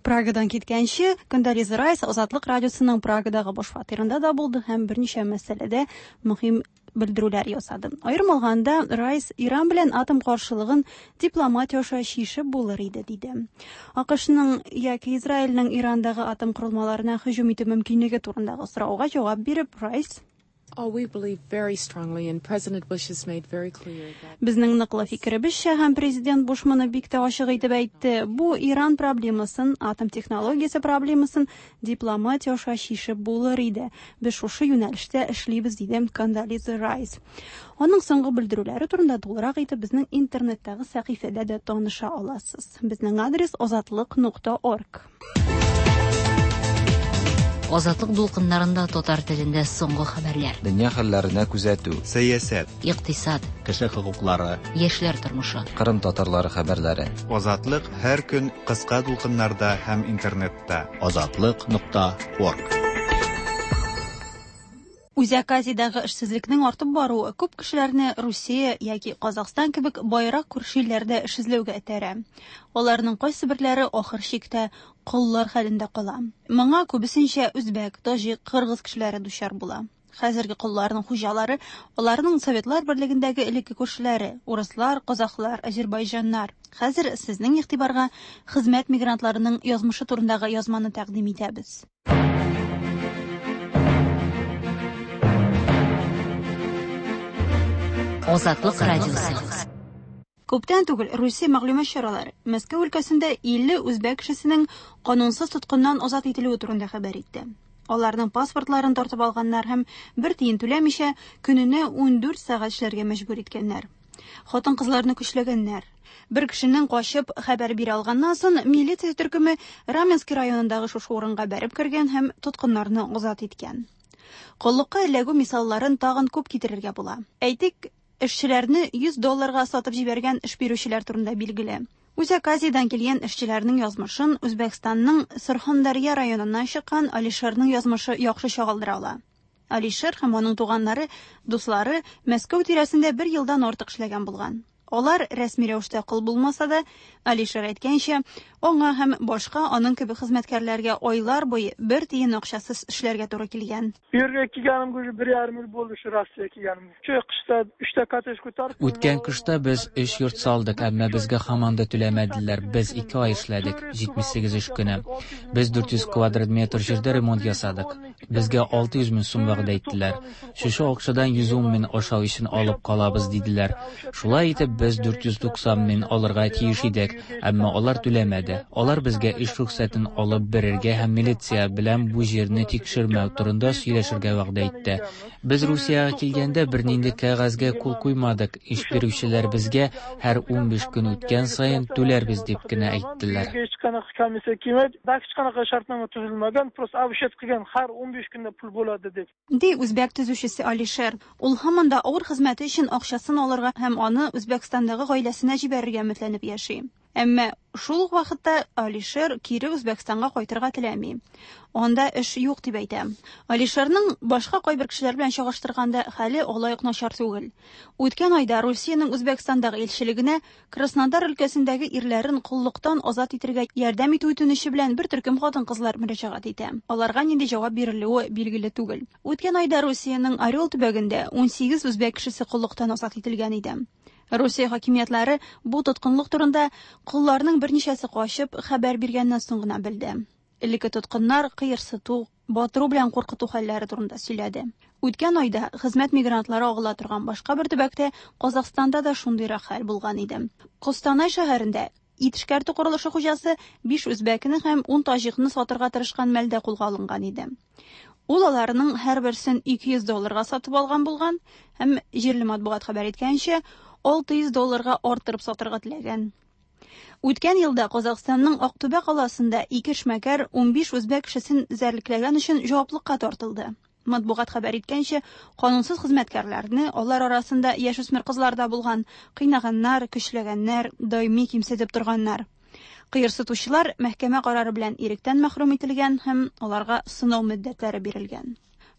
Прагадан киткәнче, Кондолиза Райс Азатлык радиосының Прагадагы баш фатирында да булды һәм берничә мәсьәләдә мөһим белдерүләр ясады. Аерым алганда, Райс Иран белән атом каршылыгын дипломатия аша чишеп булыр иде, диде. АКШның яки Израильнең Ирандагы атом корылмаларына һөҗүм итү мөмкинлеге турындагы сорауга җавап биреп, Райс Oh, Безнең ныклы фикеребезчә һәм президент Буш моны бик тә ачык итеп әйтте, бу Иран проблемасын, атом технологиясе проблемасын дипломатия аша чишеп булыр иде. Без шушы юнәлештә эшлибез, диде Кондолиза Райс. Аның соңгы белдерүләре турында тулырак итеп безнең интернеттагы сәхифәдә дә таныша аласыз. Безнең адрес azatliq.org. Азатлык дулкыннарында татар телендә соңгы хәбәрләр. Дөнья хәлләренә күзәтү. Сәясәт. Икътисад. Кеше хокуклары. Яшьләр тормышы. Кырым татарлары хәбәрләре. Азатлык һәр көн кыска дулкыннарда һәм интернетта. Азатлык.орг. Үзәк Азиядәге эшсезлекнең артып баруы күп кешеләрне Русия яки Казахстан кебек байрак күрше илләрдә эш эзләүгә этәрә. Аларның кайсыберләре ахыр чиктә коллар хәлендә кала. Моңа күбесенчә үзбәк, таҗик, кыргыз кешеләре дучар була. Хәзерге колларның хуҗалары аларның Советлар берлегендәге элекке күршеләре урыслар, казахлар, азербайҗаннар. Хәзер сезнең игътибарга хезмәт мигрантларының язмышы турындагы язманы тәкъдим итәбез. Азатлык радиосы. Күптән түгел Русия мәгълүмат чаралары Мәскәү өлкәсендә 50 үзбәк кешесенең канунсыз тоткыннан азат ителүе турында хәбәр итте. Аларның паспортларын тартып алганнар һәм бер тиен түләмичә көненә 14 сәгать эшләргә мәҗбүр иткәннәр. Хатын-кызларны көчләгәннәр. Бер кешенең качып хәбәр бирә алганнан соң милиция төркеме Раменский районындагы шушы урынга бәреп кергән һәм тоткыннарны азат иткән. Коллыкка эләгү мисалларын тагын күп китерергә була. Әйтик, эшчеләрне 100 долларга сатып җибәргән эш бирүчеләр турында билгеле. Үзәк Азиядән килгән эшчеләрнең язмышын Үзбәкстанның Сырхандарья районыннан чыккан Алишерның язмышы яхшы чагылдыра ала. Алишер һәм аның туганнары, дуслары Мәскәү тирәсендә бер елдан артык эшләгән булган. Алар рәсми рәвештә кол булмаса да, Алишер әйткәнчә, аңа һәм башка аның кебек хезмәткәрләргә айлар буе бер тиен акчасыз эшләргә туры килгән. Bu yerga kelganimga уже bir yarim yil bo'ldi shu Rossiyaga kelganimga. Shu qishda uchta kottej ko'tarib Үткән кышта без өч йорт салдык, әмма безгә һаман да түләмәделәр. Без 2 ай эшләдек, 78 эш көне. Без 400 квадрат метр җирдә ремонт ясадык. Безгә 600 мең сум вәгъдә иттеләр. Шушы акчадан 110 мең ашау өчен алып калабыз диделәр. Шулай итеп без 490 мең алырга тиеш идек, әмма алар түләмәде. Алар безгә эш рөхсәтен алып бирергә һәм милиция белән бу җирне тикшермәү турында сөйләшергә вәгъдә итте. Без Русиягә килгәндә бернинди кәгазьгә кул куймадык. Эш бирүчеләр безгә һәр 15 көн үткән саен түләрбез дип кенә әйттеләр. Hech qanaqa komissiya kelmaydi, hech qanaqa shartnoma tuzilmagan, просто обещать qilgan har 15 kunda pul bo'ladi deb. Ди үзбәк төзүчесе Алишер. Ул һаман да авыр хезмәте өчен акчасын алырга һәм аны Үзбәкстандагы гаиләсенә җибәрергә өметләнеп яши. Әмма шул ук вакытта Алишер кире Үзбәкстанга кайтырга теләми. Анда эш юк дип әйтә. Алишерның башка кайбер кешеләр белән чагыштырганда хәле алай ук начар түгел. Үткән айда Русиянең Үзбәкстандагы илчелегенә Краснодар өлкәсендәге ирләрен коллыктан азат итәргә ярдәм итү үтенече белән бер төркем хатын-кызлар мөрәҗәгать итә. Аларга нинди җавап бирелүе билгеле түгел. Үткән айда Русиянең Орел төбәгендә 18 үзбәк кешесе коллыктан азат ителгән иде. Русия хакимиятләре бу тоткынлык турында колларның берничәсе качып хәбәр биргәннән соң гына белде. Элекке тоткыннар кыерсыту, батыру белән куркыту хәлләре турында сөйләде. Үткән айда хезмәт мигрантлары агыла торган башка бер төбәктә Казахстанда да шундыйрак хәл булган иде. Костанай шәһәрендә ит эшкәртү корылышы хуҗасы 5 үзбәкне һәм 10 таҗикны сатырга тырышкан мәлдә кулга алынган иде. Ул аларның һәрберсен 200 долларга сатып алган булган һәм җирле матбугат хәбәр иткәнчә, 600 долларга арттырып сатырга теләгән. Үткән елда Казахстанның Актүбә каласында ике эшмәкәр 15 үзбәк кешесен эзәрлекләгән өчен җаваплыкка тартылды. Матбугат хәбәр иткәнчә, канунсыз хезмәткәрләрне, алар арасында яшүсмер кызлар да булган, кыйнаганнар, көчләгәннәр, даими кимсетеп торганнар. Кыерсытучылар мәхкәмә карары белән иректән мәхрүм ителгән һәм аларга сынау мөддәтләре бирелгән.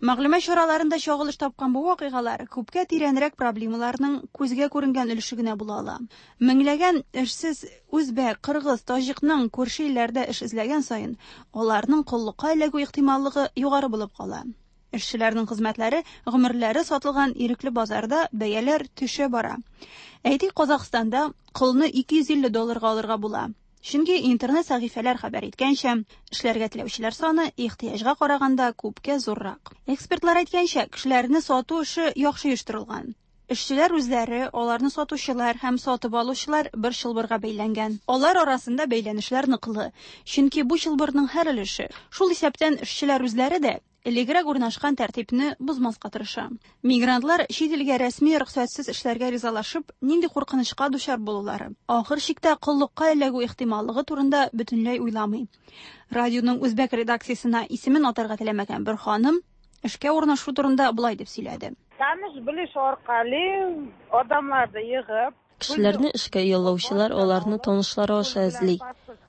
Мәгълүмат чараларында чагылыш тапкан бу вакыйгалар күпкә тирәнрәк проблемаларның күзгә күренгән өлеше генә була ала. Меңләгән эшсез үзбәк, кыргыз, таҗикның күрше илләрдә эш эзләгән саен, аларның коллыкка эләгү ихтималлыгы югары булып кала. Эшчеләрнең хезмәтләре, гомерләре сатылган ирекле базарда бәяләр төшә бара. Әйтик, Казахстанда колны 250 долларга алырга була. Чөнки интернет сәхифәләр хәбәр иткәнчә, эшләргә теләүчеләр саны ихтыяҗга караганда күпкә зуррак. Экспертлар әйткәнчә, кешеләрне сату эше яхшы оештырылган. Эшчеләр үзләре, аларны сатучылар һәм сатып алучылар бер чылбырга бәйләнгән. Алар арасында бәйләнешләр ныклы, чөнки бу чылбырның һәр өлеше, шул исәптән эшчеләр үзләре дә, элегрәк урнашкан тәртипне бозмаска тырыша. Мигрантлар чит илгә рәсми рөхсәтсез эшләргә ризалашып, нинди куркынычка дучар булулары, ахыр чиктә коллыкка эләгү ихтималлыгы турында бөтенләй уйламый. Радионың үзбәк редакциясенә исемен атарга теләмәгән бер ханым эшкә урнашу турында болай дип сөйләде. Таныш-белеш аркали адамларны йыгып, Кешеләрне эшкә яллаучылар аларны танышлары аша эзли.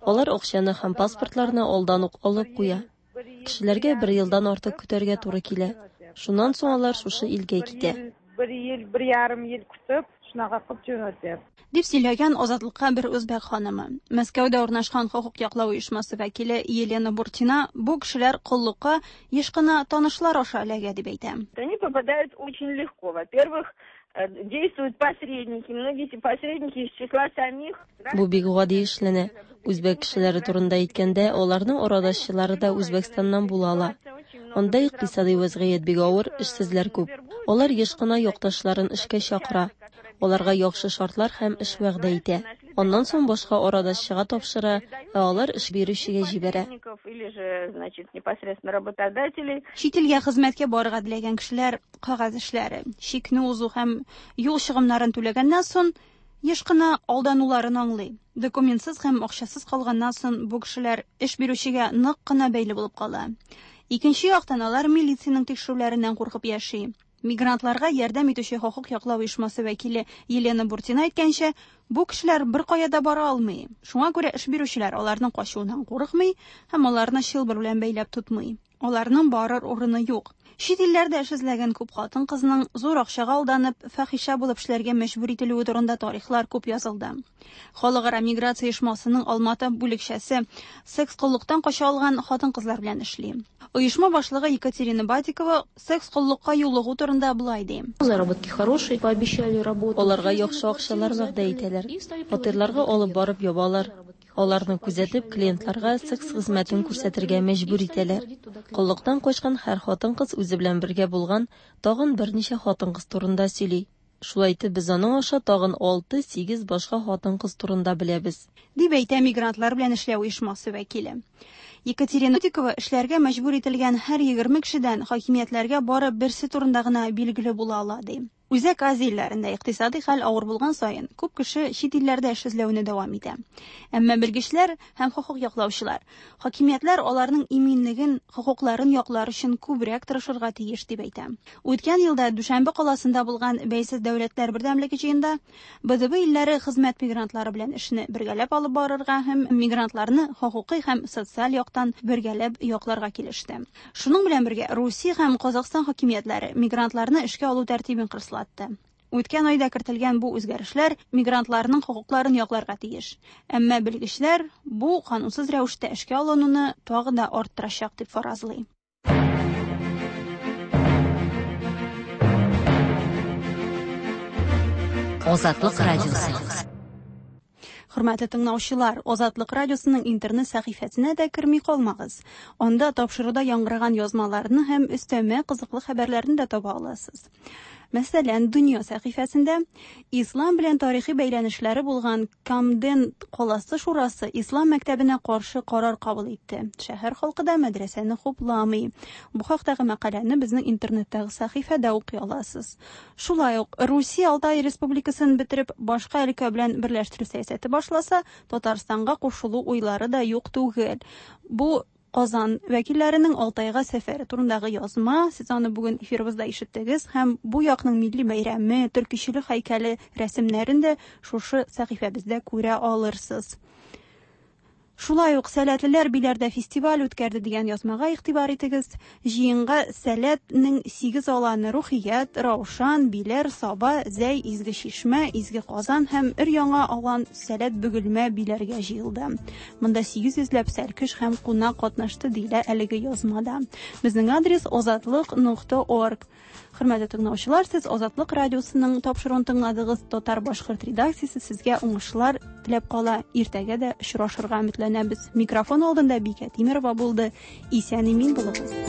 Алар акчаны һәм паспортларны алдан ук алып куя. Кешеләргә бер елдан артык көтәргә туры килә. Шуннан соң алар шушы илгә китә. Бер ел, бер ярым ел көтеп, шунака кылып җөнәтә. Дип сөйләгән Азатлыкка бер үзбәк ханымы. Мәскәүдә урнашкан хокук яклау оешмасы вәкиле Елена Буртина бу кешеләр коллыкка еш кына танышлар аша эләгә дип әйтә. Они попадают очень легко. Во-первых, действуют посредники. Многие эти посредники из числа самих. Бу бик гади эшләнә. Үзбәк кешеләре турында әйткәндә, аларның арадашчылары да Үзбәкстаннан була ала. Анда икътисадый вәзгыять бик авыр, эшсезләр күп. Алар еш кына якташларын эшкә чакыра. Аларга яхшы шартлар һәм эш вәгъдә итә. Аннан соң башка арадашчыга тапшыра, ә алар эш бирүчегә җибәрә. Или же, значит, непосредственно работодателей. Чит илгә хезмәткә барырга теләгән кешеләр кәгазь эшләре, чикне узу һәм юл чыгымнарын түләгәннән соң, еш кына алдануларын аңлый. Документсыз һәм акчасыз калганнан соң бу кешеләр эш бирүчегә нык кына бәйле булып кала. Икенче яктан алар милициянең тикшерүләреннән куркып яши. Мигрантларга ярдәм итүче хокук яклау оешмасы вәкиле Елена Буртина әйткәнчә, бу кешеләр беркая да бара алмый. Шуңа күрә эш бирүчеләр аларның качуыннан курыкмый һәм аларны чылбыр белән бәйләп тотмый. Аларның барыр урыны юк. Чит илләрдә эш эзләгән күп хатын-кызның зур акчага алданып, фәхишә булып эшләргә мәҗбүр ителүе турында тарихлар күп язылды. Халыкара миграция оешмасының Алматы бүлекчәсе секс-коллыктан кача алган хатын-кызлар белән эшли. Оешма башлыгы Екатерина Батикова секс-коллыкка юлыгу турында болай ди. Заработки хорошие, пообещали работу. Аларга яхшы акчалар вәгъдә итәләр. Фатирларга алып барып ябалар. Аларны күзәтеп, клиентларга секс хезмәтен күрсәтергә мәҗбүр итәләр. Коллыктан качкан һәр хатын-кыз үзе белән бергә булган тагын берничә хатын-кыз турында сөйли. Шулай итеп, без аның аша тагын 6-8 башка хатын-кыз турында беләбез. Дип әйтә мигрантлар белән эшләү оешмасы вәкиле. Екатерина Тикова эшләргә мәҗбүр ителгән һәр 20 кешедән хакимиятләргә бары берсе турында гына билгеле була ала, ди. Үзәк Азия илләрендә икътисадый хәл авыр булган саен, күп кеше чит илләрдә эш эзләүне дәвам итә. Әмма белгечләр һәм хокук яклаучылар хакимиятләр аларның иминлеген, хокукларын яклар өчен күбрәк тырышырга тиеш дип әйтә. Үткән елда Дүшәмбе каласында булган Бәйсез дәүләтләр бердәмлеге җыенда БДБ илләре хезмәт мигрантлары белән эшне бергәләп алып барырга һәм мигрантларны хокукый һәм социаль яктан бергәләп якларга килеште. Шуның белән бергә Русия һәм Казахстан хакимиятләре мигрантларны эшкә алу тәртибен кырыслатты. Үткән айда кертелгән бу үзгәрешләр мигрантларның хокукларын якларга тиеш. Әмма белгечләр бу канунсыз рәвештә эшкә алынуны тагы да арттырачак дип фаразлый. Азатлык радиосы. Хөрмәтле тыңлаучылар, Азатлык радиосының интернет сәхифәсенә дә керми калмагыз. Анда тапшыруда яңгыраган язмаларны һәм өстәмә кызыклы хәбәрләрне дә таба аласыз. Мәсәлән, Дөнья сәхифәсендә ислам белән тарихи бәйләнешләре булган Камден каласы шурасы ислам мәктәбенә каршы карар кабул итте. Шәһәр халкы да мәдрәсәне хупламый. Бу хактагы мәкаләне безнең интернеттагы сәхифәдә укый аласыз. Шулай ук Русия Алтай Республикасын бетереп башка өлкә белән берләштерү сәясәте башласа, Татарстанга кушылу уйлары да юк түгел. Бу Казан вәкилләренең Алтайга сәфәре турындагы язма, сез аны бүген эфирыбызда ишеттегез һәм бу якның милли бәйрәме, төркичелек һәйкәле рәсемнәрен дә шушы сәхифәбездә күрә алырсыз. Шулай ук Сәләтлеләр Биләрдә фестиваль үткәрде дигән язмага игътибар итегез. Җыенга Сәләт нең 8 аланы Рухият, Раушан, Биләр, Саба, Зәй, Изге Чишмә, Изге Казан һәм өр-яңа алан Сәләт Бөгелмә Биләргә җыелды. Монда 800 ләп сәлкеш һәм кунак катнашты, диелә әлеге язмада. Безнең адрес озатлык.орг. Хөрмәтле тыңлаучылар, сез Азатлык радиосының тапшыруын тыңладыгыз. Татар-башкорт редакциясе сезгә уңышлар теләп кала. Иртәгә дә очрашырга өметләнәбез. Микрофон алдында Бикә Тимерова булды. Исән-имин булыгыз.